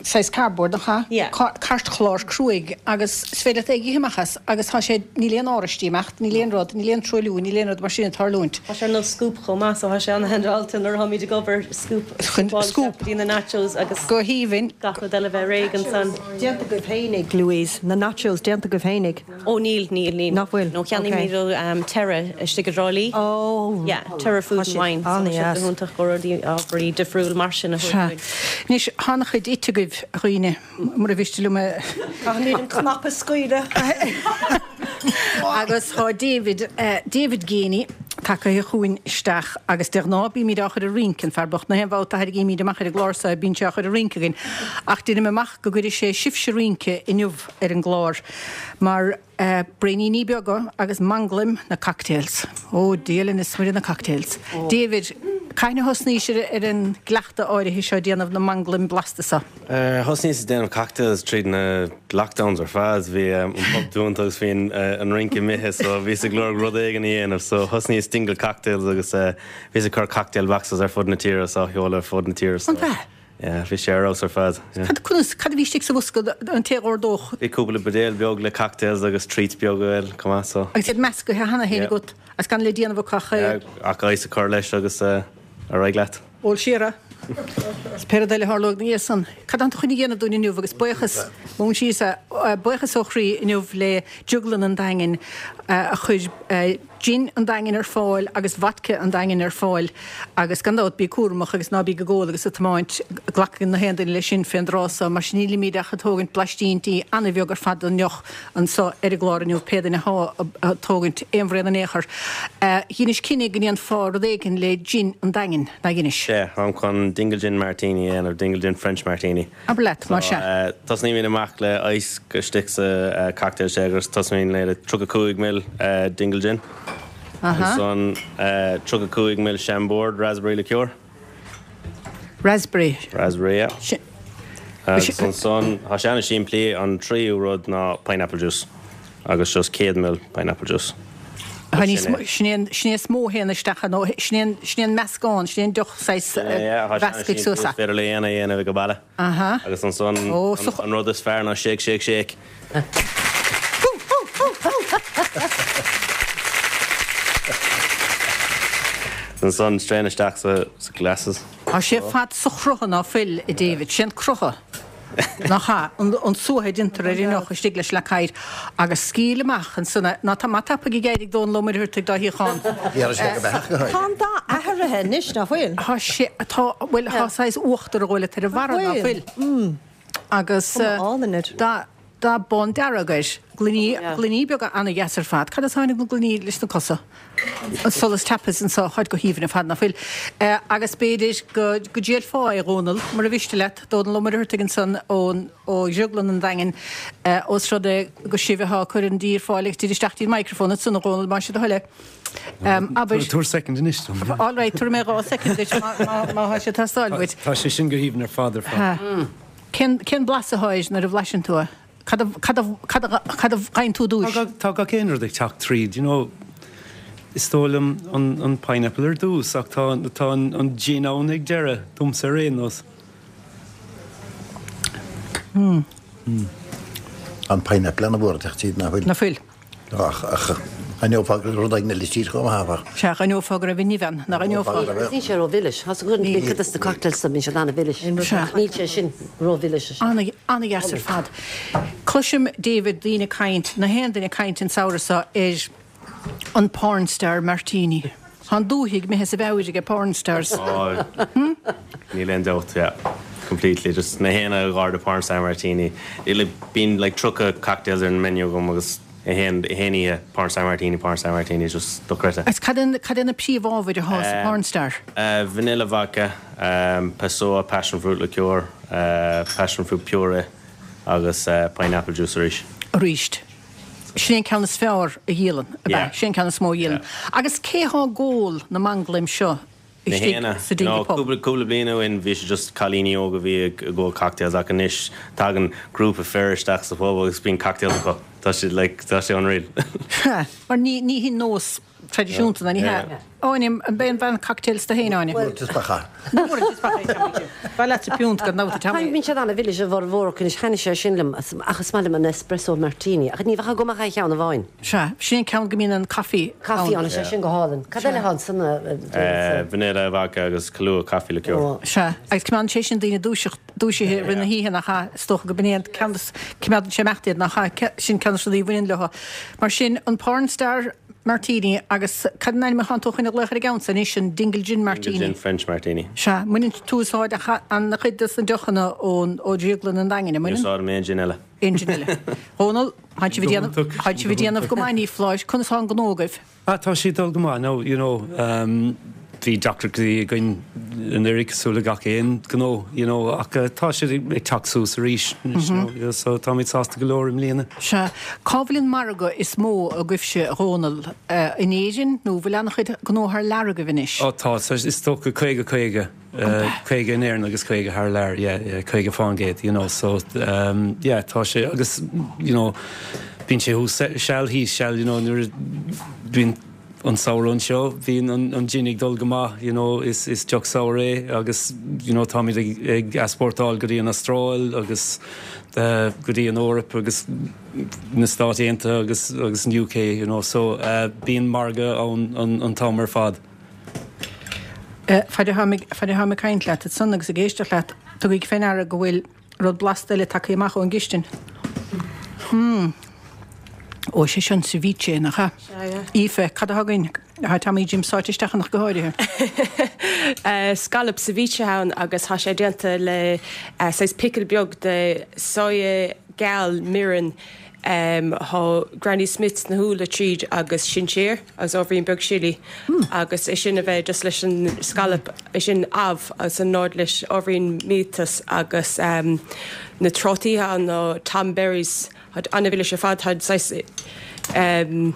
A: saghas cardboard, nach ea?
I: Yeah.
A: Cairtchlár cruaidh agus is féidir leat é a ithe amach as agus tá sé, níl aon oráistí ag imeacht, níl aon rud, níl aon truailliú, níl aon rud mar sin ag tarlúint.
I: Tá sé ar nós scoop chomh maith so tá sé an-handáilte nuair atáimid ag obair, scoop,
A: Chun
I: scoopáil
A: scoop.
I: isteach go dtí na nachos agus
A: Go haoibhinn.
I: gach rud eile bheith réidh ansan.
F: Déanta agaibh fhéinig, Louise, na nachos déanta agaibh fhéinig.
I: Ó níl, níl, níl.
F: Nach bhfuil?
I: No, cheannaímid ó um, Terra istigh i dTrá Lí.
F: Oh.
I: Yeah, Terra Food and Wine. So tá siad go hiontach go rudaí ábhairí difriúil mar sin a thabhairt dúinn.
A: Anois, tá an-chuid ite agaibh, a dhaoine, mura mhiste liom a.
F: Caithfimid an cnaipe a scaoileadh.
A: Agus tá David, David Geaney tagtha chugainn isteach agus de ghnáth bímid á chur ag rince, an fear bocht, na haon bhabhta a thairgímid amach ar an gclár seo bíonn sé á chur ag rince againn. Ach deinim amach go gcuirfidh sé sibhse ag rince inniu ar an gclár mar braoiníní beaga agus manglaim na cocktails. Ó, Dia linn is Muire na cocktails. David, Cathain a thosnaís ar an gcleachtadh áirithe seo déanamh na manglaim blasta seo?
K: Thosnaíos ag déanamh cocktails tríd na lockdowns ar fad. Bhí an pub dúnta agus bhí an rince imithe so bhíos ag lorg rud éigin a dhéanamh so thosnaíos Dingle Cocktails agus bhíos ag cur cocktail boxes ar fud na tíre so á sheoladh ar fud na tíre so.
A: An ea?
K: Yeah, bhí sé ar fheabhas ar fad. Yeah.
A: Cad, conas, cad a bhí istigh sa bhosca an té a dh'ordódh?
K: Bhí cúpla buidéal beag le cocktails agus treats beaga eile chomh maith so.
A: Agus iad meascaithe cheana féin
K: Yeah.
A: agat agus gan le déanamh acu ach.
K: Yeah, ach ice a chur leis agus uh, ar aghaidh leat.
A: Ól siar é. Is pé rud eile a tharlóidh ina dhiaidh san. Cad atánn tú chun a dhéanamh dúinn inniu agus buíochas, mún síos é, buíochas ó chroí inniu le Drioglann an Daingin a chuir gin an Daingin ar fáil agus vodka an Daingin ar fáil agus gan dabht bí cúramach agus ná bí ag ól agus ag tiomáint, glacann na haon duine leis sin fén dtráth so, mar sin nílimid ach ag tógaint blaistíntí an-bheag ar fad den ndeoch anso ar an gclár inniu, pé duine athá ag tógaint aon bhraon in aon chor. Dheinis cinneadh go ndéanfá rud éigin le gin an Daingin, nár dheinis?
K: Sea, táim chun Dingle Gin Martini a dhéanamh, Dingle Gin French Martini.
A: Abair leat, más ea.
K: Tosnaímid amach le ice istigh sa cocktail shaker agus tosnaímid le tríocha cúig mil Dingle Gin. Ansan tríocha cúig mil Chambord raspberry liqueur.
A: Raspberry.
K: Raspberry, yeah. Agus ansan, tá sé ana-shimplí, an tríú rud ná pineapple juice agus just céad mil pineapple juice.
A: Tá níos mó, sin é an, sin é is mó a théann isteach nó sin é an, sin é an meascán, sin é an deoch saghas mheasctha suas.
K: Is féidir le éinne a dhéanamh ag an baile.
A: Aha.
K: Agus ansan an rud is fearr ná shake, shake, shake. Ansan strain isteach sa glasses.
A: Tá sé fad sa chruth ná fuil, a David, sin cruth. Nach ea, an suaitheadh a deintear ar an ndeoch istigh leis le cair agus scaoil amach ansan é. Ná tá maith tapaidh ag éirigh Dónall Ó Muircheartaigh dá shuíochán.
F: Tá an dath athraithe anois, ná fuil?
A: Tá sé, tá, bhuel, tá saghas uachtar a dhul ar a bharra, ná fuil? Agus dath, dath bándearg air. Gloiní, gloiní beaga ana-dheas ar fad. Cad as a tháinig na gloiní leis na cosa? An solas teaptha anso, táid go haoibhinn ar fad, ná fuil? Agus b'fhéidir go, go díolfá é, a Dhónaill, mura mhiste leat, Dónall Ó Muircheartaigh ansan ón, ó Dhrioglann an Daingin, ós rud é gur sibh atá ag cur an dí ar fáil agus tar isteach dtí'n microphone ansan, a Dhónaill, más é do thoil é. Abair.
J: Tabhair soicind anois dom.
A: All right, tabharfaidh mé dhá soicind duit má, má, má tá sé ag teastáil uait.
J: Tá sé sin go haoibhinn ar fad ar fad.
A: Cén, cén blas atá air nuair a bhlaiseann tú é? Cad a, cad a, cad a, cad a fhaigheann tú i dtús?
J: Tá, tá gach aon rud ag teacht tríd, you know. Is dóigh liom an, an pineapple ar dtús ach tá, tá an, an gin ann ag deireadh, domsa ar aon nós.
A: Mm.
D: An pineapple ana-mhór ag teacht tríd, nach bhfuil?
A: Nach bhfuil.
D: Ach, ach, aithneofá go raibh rud éigin eile tríd chomh maith, áfach.
A: Sea, aithneofá go raibh nimh ann, nach aithneofá?
B: Níl sé ró-mhilis. Tá cuid de na cocktails seo, bíonn siad ana-mhilis.
A: Sea.
B: Ach níl sé sin ró-mhilis.
A: Ana-dheas ar fad. Cloisim, David, daoine ag caint, na haon duine ag caint an samhradh seo ar an pornstar martini. Tá an dúthaigh imithe as a meabhair ag pornstars.
K: Ó, níl aon dabht, yeah. Completely. Just na haon a d'ordaigh pornstar martini. Bíonn like tríocha cocktails ar an menu agam agus Aon oíche, Pornstar Martini, Pornstar Martini, just dochreidte.
A: Agus cad é cad é na príomhábhair atá sa Pornstar?
K: Vanilla vodka, Passoa passion fruit liqueur, passion fruit puree agus pineapple juice arís.
A: Arís. Sin é an ceann is fearr a dhíolann, ab ea? Sin é an ceann is mó a dhíolann. Agus cé há ag ól na manglaim seo?
K: Na
A: istigh
K: héinne.
A: sa Dingle
K: No,
A: Pub.
K: cúpla, cúpla bliain ó shin bhí sé just cailíní óga a bhí ag ag ól cocktails ach anois tagann grúpa fir isteach sa phub agus bíonn cocktails acu. Tá sé like, tá sé unreal.
A: Ha, mar ní, ní hin nós traidisiúnta ná ní hea.
K: Yeah.
A: Áine, an b'é an bhean cocktails do fhéin, Áine?
D: Well, just bacha.
A: Ba leat piúnt go náta
B: Tá bíonn siad ana-mhilis a bhformhór acu anois, thaitnigh sé sin liom ach is maith liom an espresso martini ach ní bheadh agam ach ceann amháin.
A: Sea, sin an ceann go mbíonn an caife
B: Caife
A: ann.
B: ann, sé sin go hálainn. Cad eile atá ansan a David?
K: Vanilla vodka agus Kahlua coffee liqueur.
A: Sea, agus coimeádann sé sin daoine dúiseach, dúisithe i rith na hoíche nach ea? Is dócha go b'in é an ceann is, coimeádann sé imeacht iad nach ea? Sin ceann de na rudaí a bhaineann leo. Mar sin, an pornstar martini agus cad an ainm atá tú chun a ghlaoch ar an gceann san anois, an Dingle Gin Martini?
K: Dingle Gin French Martini.
A: Sea, mbaineann tú úsáid ach an-chuid de na deochanna ón, ó Dhrioglann an Daingin, an
K: Ní
A: mbaineann?
K: úsáidim aon gin eile.
A: Aon gin eile. Dhónall, tá sibh ag déanamh, tá sibh ag déanamh go maith, ní fláis, conas tá an gnó agaibh?
J: Ah, tá sé ag dul go maith, now, you know, um, bhí deacrachtaí againn anuraidh cosúil le gach aon gnó, you know, ach uh, tá sé ag teacht suas arís, mm -hmm. you know, so táimid sásta go leor i mbliana.
A: Sea, cá bhfuil an margadh is mó agaibhse a Dhónaill uh, in Éirinn nó bhfuil an-chuid gnó thar lear agaibh anois?
J: Ó tá is dócha caoga caoga. Caoga in Éirinn agus caoga thar lear, yeah, yeah, caoga faoin gcéad, you know, so um, yeah, tá sé agus you know, bíonn sé thuas seal thíos seal, you know, nuair bíonn an samhradh seo bhíonn an, an gin ag dul go maith you know, is, is deoch samhraidh é agus you know, táimid ag, ag easpórtáil go dtí an Astráil agus uh, go dtí an Eoraip agus na Stáit Aontaithe agus agus an UK you know, so uh, bíonn margadh an, an, an t-am ar fad.
A: Uh, Fad a tháim ag caint leat ansan agus ag éisteacht leat tugaig faoi ndeara go bhfuil rud blasta eile tagtha amach ón gcistin. Hmm. Ó sé sin ceviche nach ea? Aoife, cad atá againn tá Jim sáite isteach nach go háirithe.
C: Uh, scallop ceviche ann agus tá sé déanta le uh, saghas pickle beag de soya geal mirin um, tá Granny Smith na húlla tríd agus sinsir agus ábhairín beag chili hmm. agus é sin a bheith just leis an scallop é sin amh agus an náid leis ábhairín miotas agus um, na trátaí an nó tam berries had an-mhilis ar fad had um,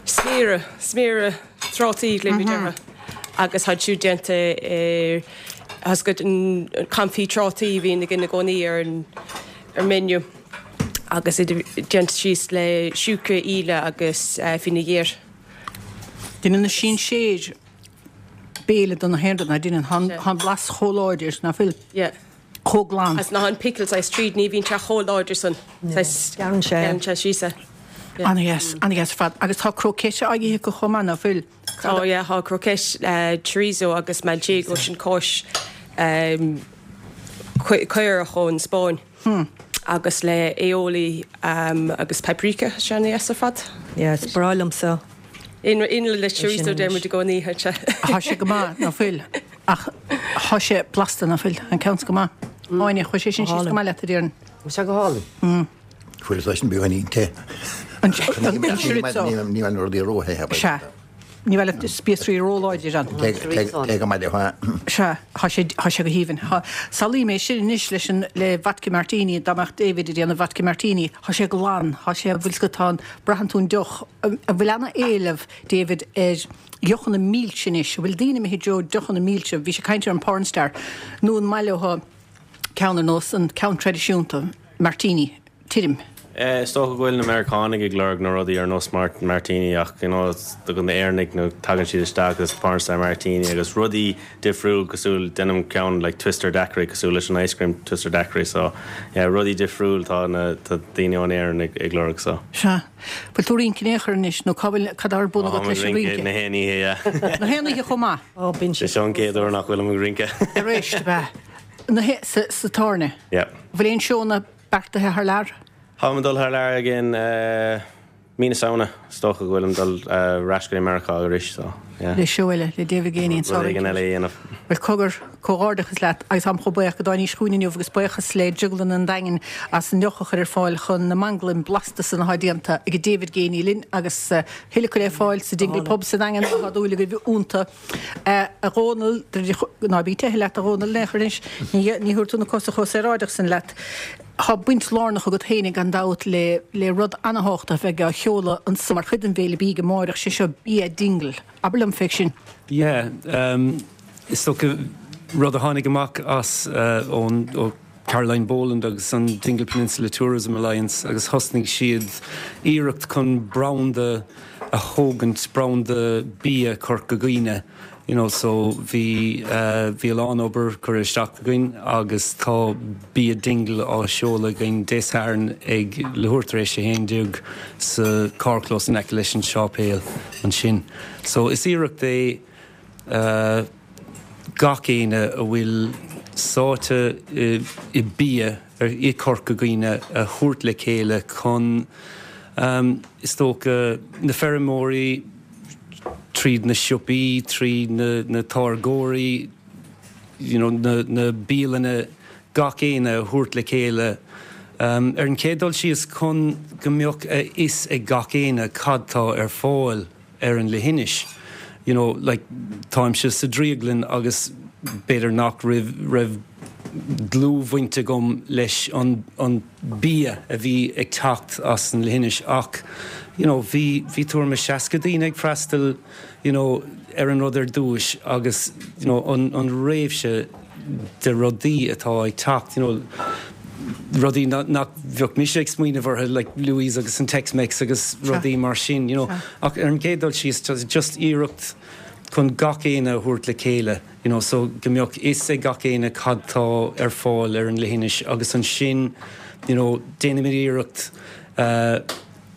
C: sméara sméara trátaí le mm -hmm. agus had siú déanta ar has go an confit trátaí bhíonn againn i gcónaí ar an ar menu agus déanta síos le siúcra íle agus uh, fíona géar.
A: Déanann na sinséir béile don na héan na déanann an blas chomh láidir nach bhfuil.
C: Yeah.
A: Chomh glan.
C: As na an pickles is tríd ní bhíonn sé chomh láidir san
F: Gearrann sé
C: sé.
A: An-dheas an-dheas fad agus tá croquette agaibh go chomh maith nach bhfuil.
C: Tá yeah, tá croquette uh, chorizo agus manchego sin cáis um, caorach ón Spáinn.
A: Hmm.
C: agus le aioli um, agus paprika sin é ar fad.
F: Yeah, is breá liomsa.
C: In in le chorizo déarmuid go ní se.
A: Tá sé go maith nach bhfuil ach tá sé blasta nach bhfuil an ceann go maith. Áine chuaigh sé sin síos go maith leat a déarfainn.
L: sé go hálainn.
D: Fuair sin beagáinín te. Ní an rudaí ró-the.
A: Se. Ní bhfuil spíosraí róláidir an.
D: Te go maith
A: Se tá sé go haoibhinn. Samhlaím é sin anois leis an le vodka martini dá mbeadh David ag déanamh vodka martini, Tá sé glan, Tá sé bhfuil go tá braitheann tú an deoch a bhfuil an-éileamh David ar dheochanna milse anois, bhfuil daoine imithe i dtreo deochanna milse, bhí sé caint ar an pornstar nó an maith leo ceann ar nós an ceann traidisiúnta martini tirim.
K: Is dócha go bhfuil na Meiriceánaigh ag lorg na rudaí ar nós martini ach you know, do na Éireannaigh nó tagann siad isteach agus pornstar martini agus rudaí difriúil cosúil déanaim ceann like twister daiquiri cosúil leis an ice cream twister daiquiri so yeah, rudaí difriúil tá na tá daoine ón Éirinn ag, ag lorg so.
A: Se Bhfuil tú rince néchar anois nó cá bhfuil cad ar bun agat leis an rince?
K: Na haon oíche, yeah.
A: Na haon oíche chomh maith?
F: Ó, bíonn
K: sé. Seo an chéad uair nach bhfuilim ag rince.
A: Arís be. Na he sa, sa tábhairne?
K: Yeah.
A: Bhfuil aon seónna beartaithe thar lear?
K: Táim dul thar lear again uh, mí na Samhna is dócha go bhfuilim dul uh, ar ais go Meiriceá arís so yeah.
A: Le seó eile le David Geaney an
K: Rud éigin eile a dhéanamh.
A: Well cogar comhghairdeachas leat agus táim chomh buíoch go dtáinís chugainn inniu agus buíochas le Drioglann an Daingin as an deoch a chur ar fáil chun na manglaim blasta san atá déanta ag David Geaney linn agus uh, thuilleadh le fáil sa Dingle Pub sa Daingean atá dúil go ionta uh, a Dhónaill ná bí te leat a Dhónaill leis ní ní thuair tú na cosa chomh saoráideach sin leat. Tá baint lárnach agat féin gan dabht le le rud an-tábhachtach a bheith á sheoladh anso mar chuid den bhFéile Bídh amárach sé seo Bia Dingle. Abair liom fé sin.
J: Yeah, um, is dócha rud a tháinig amach as uh, ón ó Caroline Boland agus an Dingle Peninsula Tourism Alliance agus thosnaigh siad iarracht chun branda a thógaint branda bia Corca Dhuibhne. You know, so bhí uh, bhí a lán obair curtha isteach againn agus tá Bia Dingle á seoladh againn Dé Sathairn ag leathuair tar éis a haon déag sa carrchlós in aice leis an séipéal ansin. So is iarracht é uh, gach éinne a bhfuil sáite i, i bia ar i Corca Dhuibhne a thabhairt le chéile chun um, is dócha na feirmeoirí tríd na siopaí, tríd na, na táirgeoirí, you know, na, na bialanna gach éinne a thabhairt le chéile. Um, ar an chéad dul síos chun go mbeadh a fhios ag gach éinne cad tá ar fáil ar an leithinis. You know, like táimse sa drioglann agus b'fhéidir nach raibh raibh dlúthbhaint agam leis an an bia a bhí ag teacht as an leithinis ach you know, bhí bhí tuairim is seasca daoine ag freastal you know, ar an rud ar dtús agus you know, an, an réimse de rudaí atá ag teacht you know, rudaí nach bheadh mise ag smaoineamh orthu like Louise agus an Tex-Mex agus rudaí mar sin you know. Ach ar an gcéad dul síos just iarracht chun gach éinne a thabhairt le chéile you know, so go mbeadh fhios ag gach éinne cad tá ar fáil ar an leithinis agus ansin you know, déanaimid iarracht uh,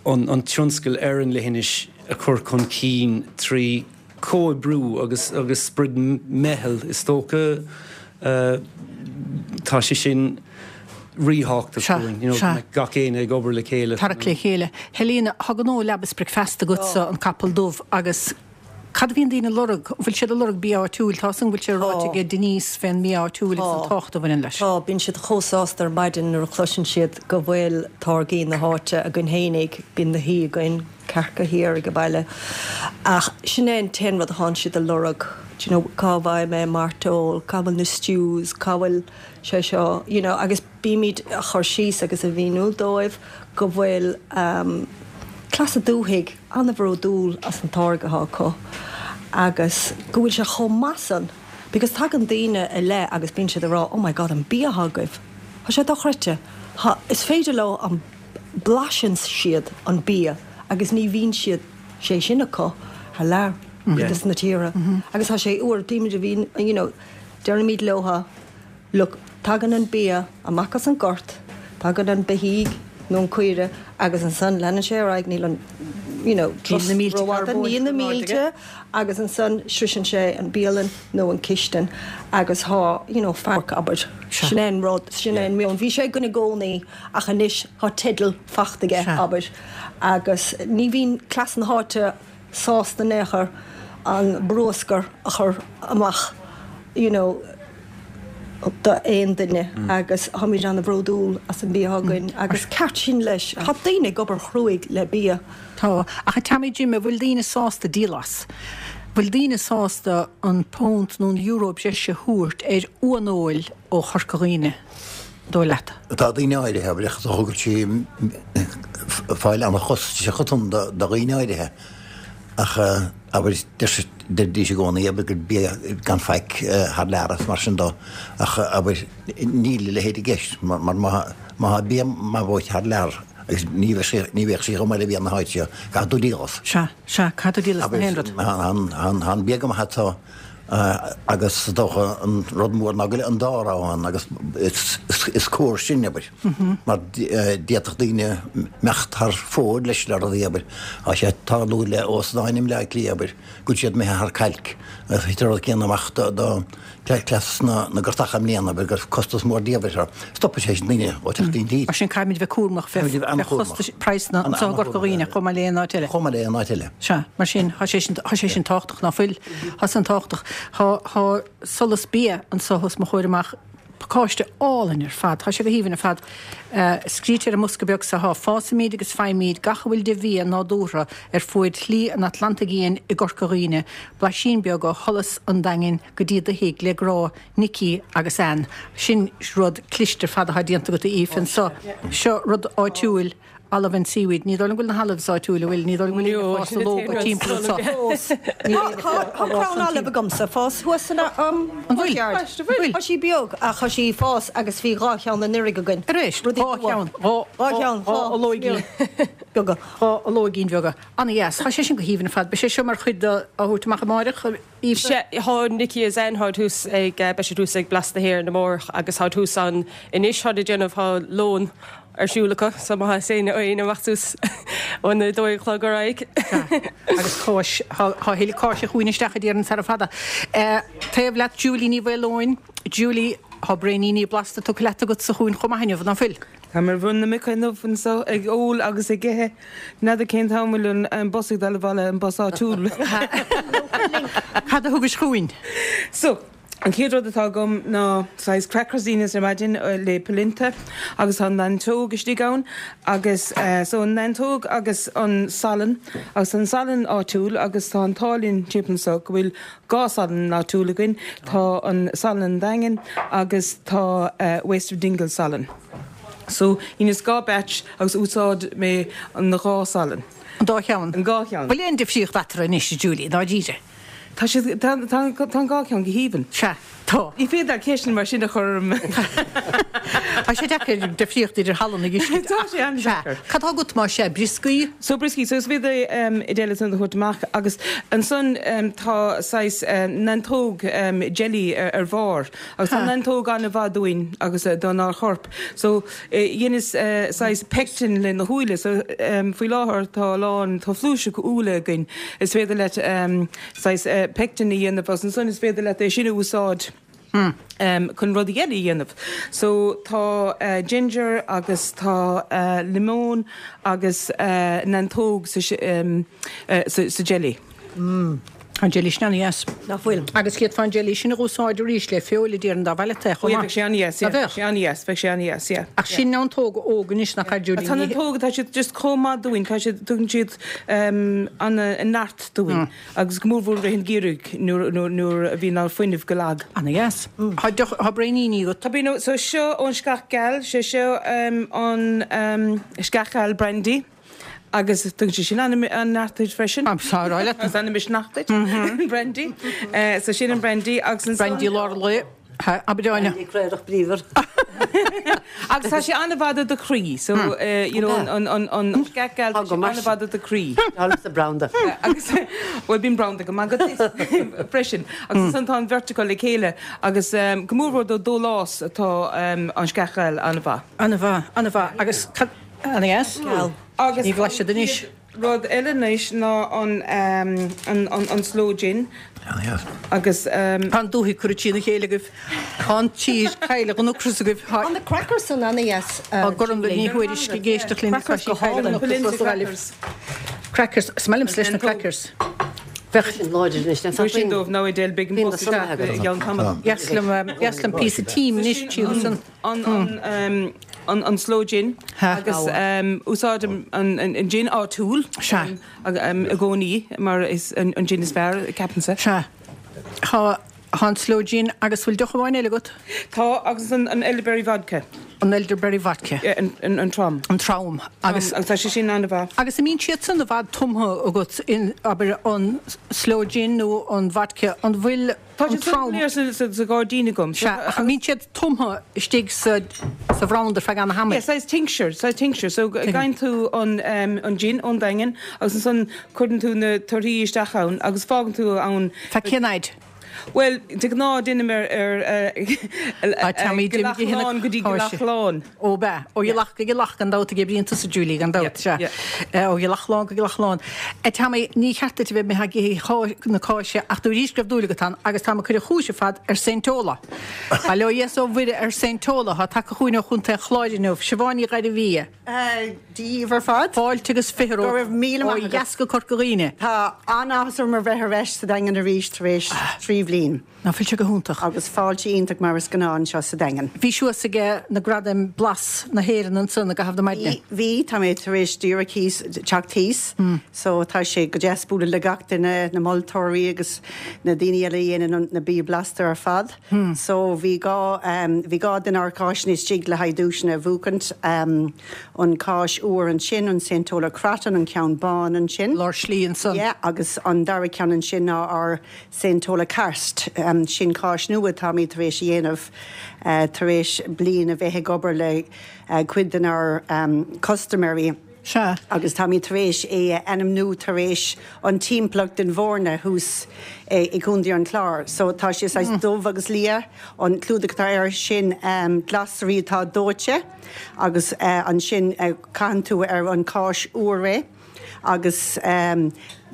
J: an, an tionscal ar an leithinis a chur chun cinn trí comhoibriú agus agus sprid meitheal is dócha uh, tá sé sin ríthábhachtach dúinn, you know, gach éinne ag obair le chéile.
A: Tarrac le chéile. Helena, tá gnó Leaba is Bricfeasta agatsa an Capall Dubh agus cad a bhíonn daoine ag lorg? An bhfuil siad ag lorg bia áitiúil? Tá an bhfuil sé ráite ag Denise fén mbia áitiúil agus an tábhacht a bhaineann leis.
F: Tá, bíonn siad chomh sásta ar maidin nuair a chloiseann siad go bhfuil táirgí na háite againn fhéinig, bíonn na hí againn cearca thiar ag an baile. Ach sin é an t-aon rud atánn siad ag lorg, do you know, cá bhfaighidh mé mairteoil, cá bhfuil na stews, cá bhfuil sé seo, you know, agus bímid a chur síos agus a mhíniú dóibh go bhfuil um, cleas an dúthaigh an-bhródúil as an táirge atá acu agus go bhfuil sé chomh maith san because tagann daoine i leith agus bíonn siad ag rá oh my god an bia atá agaibh tá sé dochreidte Tá is féidir leo an blaiseann siad an bia agus ní bhíonn siad sé sin acu thar lear agus na tíre agus tá sé uair bímid a bhíonn you know deirimid leo look tagann an bia amach as an gort tagann an beithígh nó an caoire agus ansan leanann sé ar aghaidh níl an you know
A: Níl na mílte carbóin
F: níl na mílte agus ansan sroiseann sé an bialann nó an cistin agus thá you know fork abair sin é an rud sin é an meon bhí sé againn i gcónaí ach anois thá teideal fachta aige abair agus ní bhíonn cleas na háite sásta in aon chor an bruscar a chur amach you know d'aon duine agus táimid an-bhródúil as an bia againn agus ceart sin leis. Tá daoine ag obair chruaidh le bia.
A: Tá, ach Tammy Jim, an bhfuil daoine sásta díol as? Bhfuil daoine sásta an punt nó an euro breise a thabhairt ar uaineoil ó Chorca Dhuibhne? Dóigh leat?
D: Tá daoine áirithe, abair, ach thug sí fáil an-chostasach do dhaoine áirithe. Ach abair, deiridís i gcónaí, abair, gur bia gan faic thar lear is mar sin dó. Ach abair, níl a leithéid i gceist, mar má tá bia maith faighte thar lear, agus ní bheadh sé, ní bheadh sé chomh maith le bia na háite seo, caithfidh tú díol as.
A: Sea, sea, caithfidh tú díol as na haon rud.
D: Abair, tá an bia go maith anseo agus is dócha an rud mór ná go bhfuil an dá rogha ann agus is cóir sin, abair, mar d'fhéadfadh daoine imeacht thar fóir leis le rudaí, abair. Tá sé ag tarlú le óstáin i mBleá Cliath, abair, go bhfuil siad imithe thar cailc agus thit an rud céanna amach do cleas na gCurtacha i mbliana, abair, gur costas mór diamhair orthu. Stopfaidh sé sin daoine ó theacht i dtír.
A: Mar sin caithfimid bheith cúramach fé chostais, praghsanna anseo i gCorca Dhuibhne chomh maith le aon áit eile.
D: Chomh maith le aon áit eile.
A: Sea, mar sin, tá sé sin, tá sé sin tábhachtach, ná fuil? Tá san tábhachtach. Tá, tá Solas Bia anseo os mo chomhair amach, pacáiste álainn ar fad, tá sé go haoibhinn ar fad. Scríte ar an mbosca beag seo, fásaimid agus faighimid gach a bhfuil de bhia nádúrtha ar fuaid Shlí an Atlantaigh Fhiáin i gCorca Dhuibhne, blaisín beag ó sholas an Daingin go dtí do thigh le grá, Nicky agus Ann. Sin rud cliste ar fad atá déanta agat a Aoife anseo. Seo rud áitiúil. Olive and seaweed. Ní dóigh liom go bhfuil na holives áitiúil, an bhfuil? Ní dóigh liom go bhfuil éinne ag fás ológa timpeall anseo.
F: Tá crann olive agamsa fás thuas san An bhfuil? Bhfuil. Tá sí beag ach tá sí ag fás agus bhí dhá cheann anuraidh againn.
A: Arís, dhá cheann, dhá, dhá cheann, dhá olóigín beaga. Dhá olóigín bheaga. Ana-dheas. Tá sé sin go haoibhinn ar fad. Beidh sé seo mar chuid de á thabhairt amach amáireach, Aoife?
C: Sea, tá Nicky is Ann, táid thuas ag, beidh siad thuas ag Blas na hÉireann amárach agus táid thuas ann anois, táid ag déanamh, tá lón ar siúl acu, so má tá éinne amach suas óna dó a chlog ar aghaidh.
A: Agus cáis, tá a thuilleadh cáise chugainn isteach a déarfainn sara fada. Taobh leat Julie Ní Mhaoileoin, Julie, tá braoiníní blasta tugtha leat agatsa chugainn chomh maith inniu, ná fuil?
L: Táim ar mhuin na muice inniu anseo ag ól agus ag ithe. N'fheadar cén t-am bhfuil an bus ag dul abhaile, an bus áitiúil.
A: Cad a thugais chugainn?
L: So, An chéad rud atá agam ná saghas crackers a dheineas ar maidin le polenta agus tá neantóg istigh ann agus so an neantóg agus an salann agus an salann áitiúil agus tá an t-ádh linn timpeall anseo go bhfuil dhá salann áitiúil againn, tá an salann an Daingin agus tá Waste of Dingle salann. So dheineas dhá batch agus úsáid mé an dhá salann.
A: An dá cheann?
L: An dhá cheann.
A: Bhfuil aon difríocht eatarthu anois, a Julie, dáiríre?
L: Tá siad, tá, tá, tá an dhá cheann go haoibhinn.
A: Sea, tá.
L: Ní féidir ceisteanna mar sin a chur orm.
A: Tá sé deacair difríocht idir shalann agus uisce.
L: Tá sé an-deacair.
A: Cad tá agat más ea? Brioscaí?
L: So brioscaí, so is féidir um, Edel san a thabhairt amach agus ansan um, tá saghas um, neantóg um, jelly ar, ar bharr agus tá neantóg an-mhaith dúinn agus uh, don ár chorp. So uh, dheineas uh, saghas pectin le na húlla, so um, faoi láthair tá a lán tá flúirse úlla againn. Is féidir leat um, saghas uh, pectin a dhéanamh agus ansan is féidir leat é sin a úsáid um, chun rudaí eile a dhéanamh. So tá uh, ginger agus tá uh, lemon agus uh, neantóg sa, um, uh, sa, sa jelly.
A: Mm. An jelly sin an-deas.
B: Nach bhfuil.
A: Agus d'fhéadfá an jelly sin a úsáid arís le feoil déarfainn dá bhfeilfeadh é
L: chomh maith. Bheadh sé an-deas, yeah.
A: Bheadh.
L: Sé an-deas, bheadh sé an-deas, yeah.
A: Ach sin neantóg óg anois nach ea Julie.
L: Tá neantóga, tá siad just chomh maith dúinn, tá siad, tugann siad um, an, an neart dúinn. Agus go mórmhór i rith an gheimhridh nuair, nuair, nuair a bhíonn ár fuinneamh go lag.
A: An-deas. Tá deoch, tá braoiníní agat.
L: Tá braoiníní, so seo ón Sceach Geal, sé seo um, an um, Sceach Gheal brandy. Agus tugann sé sin an-neart duit freisin.
A: Am sáráil leat.
L: Agus an-misneach duit. Brandy. So sin an brandy agus an
A: Brandy lár lae. Ha, abair Áine.
B: Brandy craorach bríomhar.
L: Agus tá sé an-mhaith do do chroí, so you know an an an Sceach Gheal tá sé an-mhaith do do chroí.
B: Tá sa branda.
L: Agus bhuel bíonn branda go maith agat freisin. Agus ansan tá an bheirt acu le chéile agus go mórmhór do dólás atá an Sceach Gheal an-mhaith.
A: An-mhaith, an-mhaith. Agus cad An-deas.
L: Agus
A: Ní bhlaiseadh anois.
L: Rud eile anois ná an an an sloe gin. Agus
A: Tá an dúthaigh curtha trína chéile agaibh. Tá an tír cailleadh an ocras agaibh.
F: Tá na crackers san an-deas.
A: Tá Gormfhlaith Ní Thuairisg ag éisteacht linn tá sí cailleadh an ocras as Gaillimh. Crackers, is maith liomsa leis na crackers. Bheadh
B: sin láidir anois.
L: Tá sin dóibh now Edel beidh an bus isteach i gceann tamaill.
A: Dheas liom dheas liom píosa tím anois tríothu san.
L: An an an an sloe gin agus úsáidim an an gin áitiúil
A: Sea.
L: i gcónaí mar is an an gin is fearr ceapaimse.
A: Sea. Tá tá an sloe gin agus bhfuil deoch amháin eile agat?
L: Tá agus an an elderberry vodka.
A: An elderberry vodka.
L: An an an trom.
A: An trom agus
L: agus tá sé sin an-mhaith.
A: Agus an mbíonn siad san i bhfad tumtha agat in abair an sloe gin nó an vodka an bhfuil
L: Tá siad san léir sa sa sa gairdín agam.
A: Sea, ach an mbíonn siad tumtha istigh sa sa bhranda feadh an-tamaill?
L: Yeah, saghas tincture, saghas tincture. So gabhann tú an um, an gin ón Daingean agus ansan cuireann tú na torthaí isteach ann agus fágann tú ann.
A: Feadh cén fhaid?
L: Bhuel, de ghnáth déanaim ar ar
A: Gealach
L: lán go dtí gealach lán.
A: Ó bea, ó ghealach go gealach gan dabht ag oibríonn tusa Julie, gan dabht, sea. Ó ghealach lán go gealach lán. Tá mé, ní cheart duit a bheith imithe ag ithe na cáise ach dúraís go raibh dúil agat ann agus tá mé ag cur an chúis ar fad ar Saint Tola. Bail ó Dhia 's ó Mhuire ar Saint Tola, tá tagtha chugainn ó Chontae an Chláir inniu, Siobhán Ní Ghairbhia.
M: Dia daoibh ar fad.
A: Fáilte agus fiche
M: Go raibh míle
A: ó
M: maith agat.
A: dheas go Corca Dhuibhne.
M: Tá an-áthas orm a bheith ar ais sa Daingean arís tar éis trí bhliain.
A: Ná fuil sé go hiontach.
M: Agus fáilte iontach mar is gnáth anseo sa Daingean.
A: Bhí suas ag na gradaim Blas na hÉireann ansan i gcaitheamh na maidne.
M: Bhí, tá mé tar éis díreach thíos, teacht thíos, so tá sé go deas bualadh le gach duine, na moltóirí agus na daoine eile a dhéanann na bia blasta ar fad. So bhí dhá, bhí dhá denár cáiseanna istigh le haghaidh duaiseanna a bhuachaint, an cáis úr ansin, an Saint Tola Crottin, an ceann bán ansin.
A: Lár slí ansan.
M: Yeah, agus an dara ceann ansin ná ár Saint Tola Karst. Sin cáis nua atáimid tar éis a dhéanamh tar éis bliain a bheith ag obair le cuid denár custaiméirí.
A: Sea.
M: Agus táimid tar éis é a ainmniú tar éis an timpeallacht den Bhoirne thuas i gContae an Chláir. So tá sé saghas dubh agus liath, an clúdach atá air sin glasraí atá dóite agus ansin caitheann tú ar an cáis úr é agus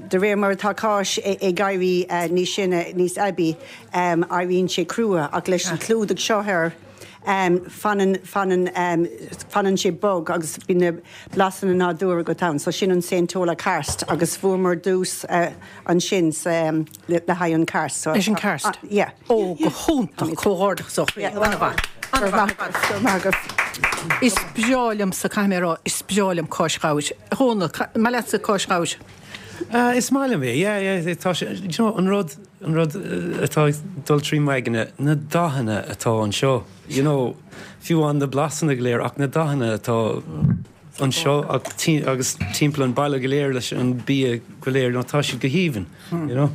M: de réir mar atá cáis ag éirí níos sine, níos aibí, éiríonn sé crua ach leis an clúdach seo air, Fanann fanann fanann sé bog agus bíonn na blasanna nádúrtha agat ann. So sin an Saint Tola Karst agus fuaireamar duais ansin le haghaidh an Karst.
A: Leis an Karst?
M: Yeah.
A: Ó, go hiontach, comhghairdeachas ó chroí. An-mhaith. An-mhaith. Is breá liomsa, caithfidh mé a rá, is breá liom cáis ghabhair. A Dhónaill, maith leatsa cáis ghabhair?
J: Is maith liom é, yeah, yeah, tá sé, do you know, an rud, an rud atá ag dul trí m'aigne, na dathanna atá anseo, you know, fiú amháin na blasanna go léir ach na dathanna atá anseo agus timpeall an baile go léir leis an bia go léir, nó tá siad go haoibhinn, you know.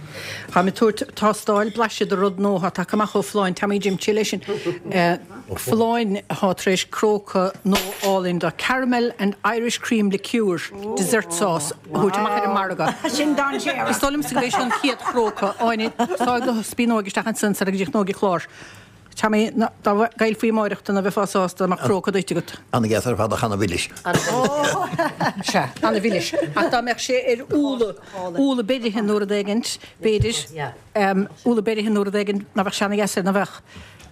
A: Tá mé tabhairt tástáil blaiseadh de rud nua atá tagtha amach ó Folláin, Tommy Jim Chill leis sin. Folláin atá tar éis cróca nua álainn de Caramel and Irish Cream Liqueur Dessert Sauce a thabhairt amach ar an margadh.
M: Sin dainséarach.
A: Is dóigh liomsa gurb é seo an chéad chróca, Áine, sáigh do spíonóg isteach ansan sara gcríochnóidh an clár. Tommy, dá gcaillfí amárach tú, an mbeifeá sásta dá mbeadh cróca duit agat?
D: Ana-dheas ar fad ach ana-mhilis.
A: Sea, ana-mhilis. Ach dá mbeadh sé ar úlla, úlla beirithe nó rud éigint, b'fhéidir, úlla beirithe nó rud éigint, ná bheadh sé ana-dheas air, ná bheadh?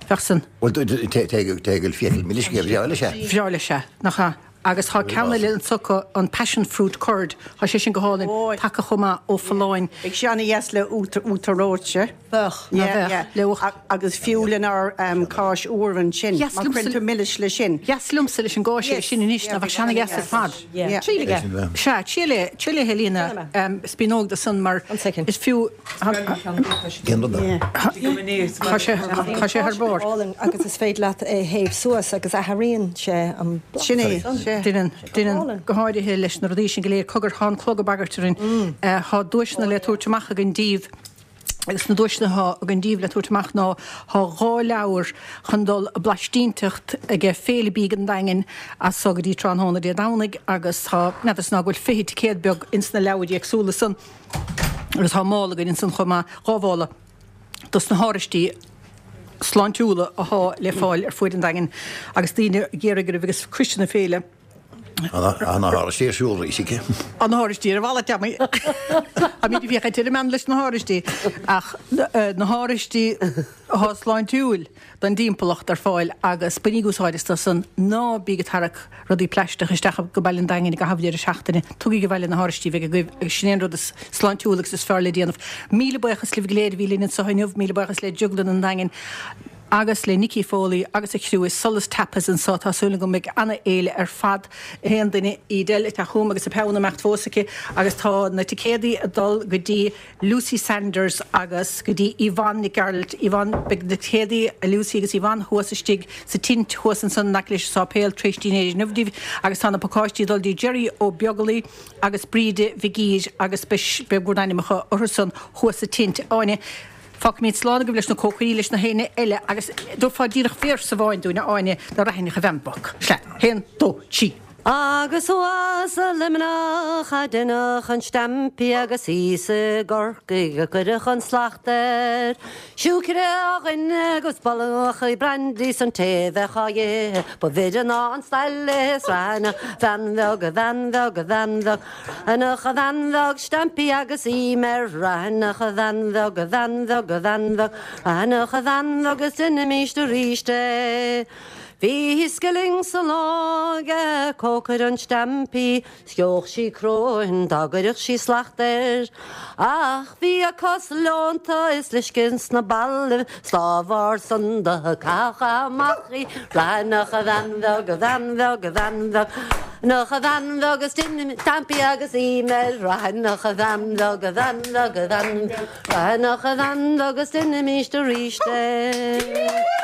A: Bheadh san.
D: Bhuel, té go bhfuil fiacail milis aige, bhreá leis é.
A: Bhreá leis é, nach ea? Agus tá ceann eile anso acu, an Passion Fruit Curd, tá sé sin go hálainn, tagtha chomh maith ó Folláin.
M: Bheadh sé ana-dheas le uachtar reoite.
A: Bheadh. Ná bheadh, le uachtar.
M: Agus fiú lenár cáis úr ansin, má chuireann tú milis leis sin.
A: Dheas liomsa leis an gcáis é sin anois, ná bheadh sé ana-dheas ar fad.
I: Triail aige.
A: Sea, triail é, triail é Helena, spíonóg de san mar is fiú.
D: Cén rud é?
A: Tá sé, tá sé thar barr.
F: Agus is féidir leat é a théamh suas agus athraíonn sé an blas.
M: Sin é, sea.
A: Deineann, deineann, go háirithe leis na rudaí sin go léir. Cogar, tá an clog ag bagairt orainn. Tá duaiseanna le tabhairt amach againn daoibh. Agus na duaiseanna atá againn daoibh le tabhairt amach ná tá dhá leabhar chun dul ag blaistínteacht ag Féile Bídh an Daingin as so go dtí tráthnóna Dé Domhnaigh agus tá, n'fheadarsa ná go bhfuil fiche ticéad beag ins na leabhair éagsúla san. Agus tá mála againn ansan chomh maith, dhá mhála dos na hÁraistí sláintiúla athá le fáil ar fuaid an Daingin agus daoine ag iarraidh go raibh agus coiste na féile.
D: Tá na hÁraistí ar siúl arís aici.
A: Tá na hÁraistí ar a mhalairt agam. Táimid ag féachaint ar an mbean leis na hÁraistí ach na hÁraistí athá sláintiúil don dtimpeallacht ar fáil agus bainigí úsáid astu san. Ná bíg ag tarrac rudaí plaisteach isteach go Baile an Daingin i gcaitheamh deireadh seachtaine. Tugaigí abhaile na hÁraistí a bheidh agaibh agus sin é an rud is sláintiúil agus is fearr le déanamh. Míle buíochas libh go léir a bhí linn anseo inniu. Míle buíochas le Drioglann an Daingin agus le Nicky Foley agus a chriú i Solas Tapas anseo. Tá súil agam go mbeidh ana-fhéile ar fad. Aon duine Edel ag teacht chugam agus a peann ag imeacht fós aici agus tá na ticéadaí ag dul go dtí Lucy Sanders agus go dtí Yvonne Nic Gearailt. Yvonne, beidh na ticéadaí, Lucy agus Yvonne, thuas istigh sa tint thuas ansan in aice leis an sáipéal tar éis dinnéir inniu daoibh agus tá na pacáistí ag dul dtí Jerry Ó Beaglaoi agus Bríde Mhig Uidhir agus beidh bhur n-ainmneacha orthu san thuas sa tint. Áine, fágfaimid slán agaibh leis na cócairí, leis na héinne eile agus dtabharfá díreach véarsa amháin dúinn, a Áine, de Raithinneach a Bhean Boc. Sea, haon, dó, trí.
B: Agus thuas i Luimneach a deineadh an stampí agus thíos i gCorcaigh a cuireadh an slacht air. Siúcra á dhuine agus boladh brandy 's an té bheadh á ithe ba mhire ná an stail é. 'S Raithinneach a bhean bheag, a bhean bheag, a bhean bheag, Raithinneach a bhean bheag, stampí agus ím air. Raithinneach a bhean bheag, a bhean bheag, a bhean bheag, Raithinneach a bhean bheag is deinimíst aríst é. Bhí scilling sa lá aige cócaire an stampí, 's gheobhadh sí cróin dá gcuirfeadh sí slacht air. Ach bhí a cos leonta is loiscthe ins na ballaibh, 's dá bharr san do caitheadh amach í. Raithinneach a bhean bheag, a bhean bheag, a bhean bheag, Raithinneach a bhean bheag is deinim stampí agus ím air. Raithinneach a bhean bheag, a bhean bheag, a bhean bheag, Raithinneach a bhean bheag is deinimíst aríst é.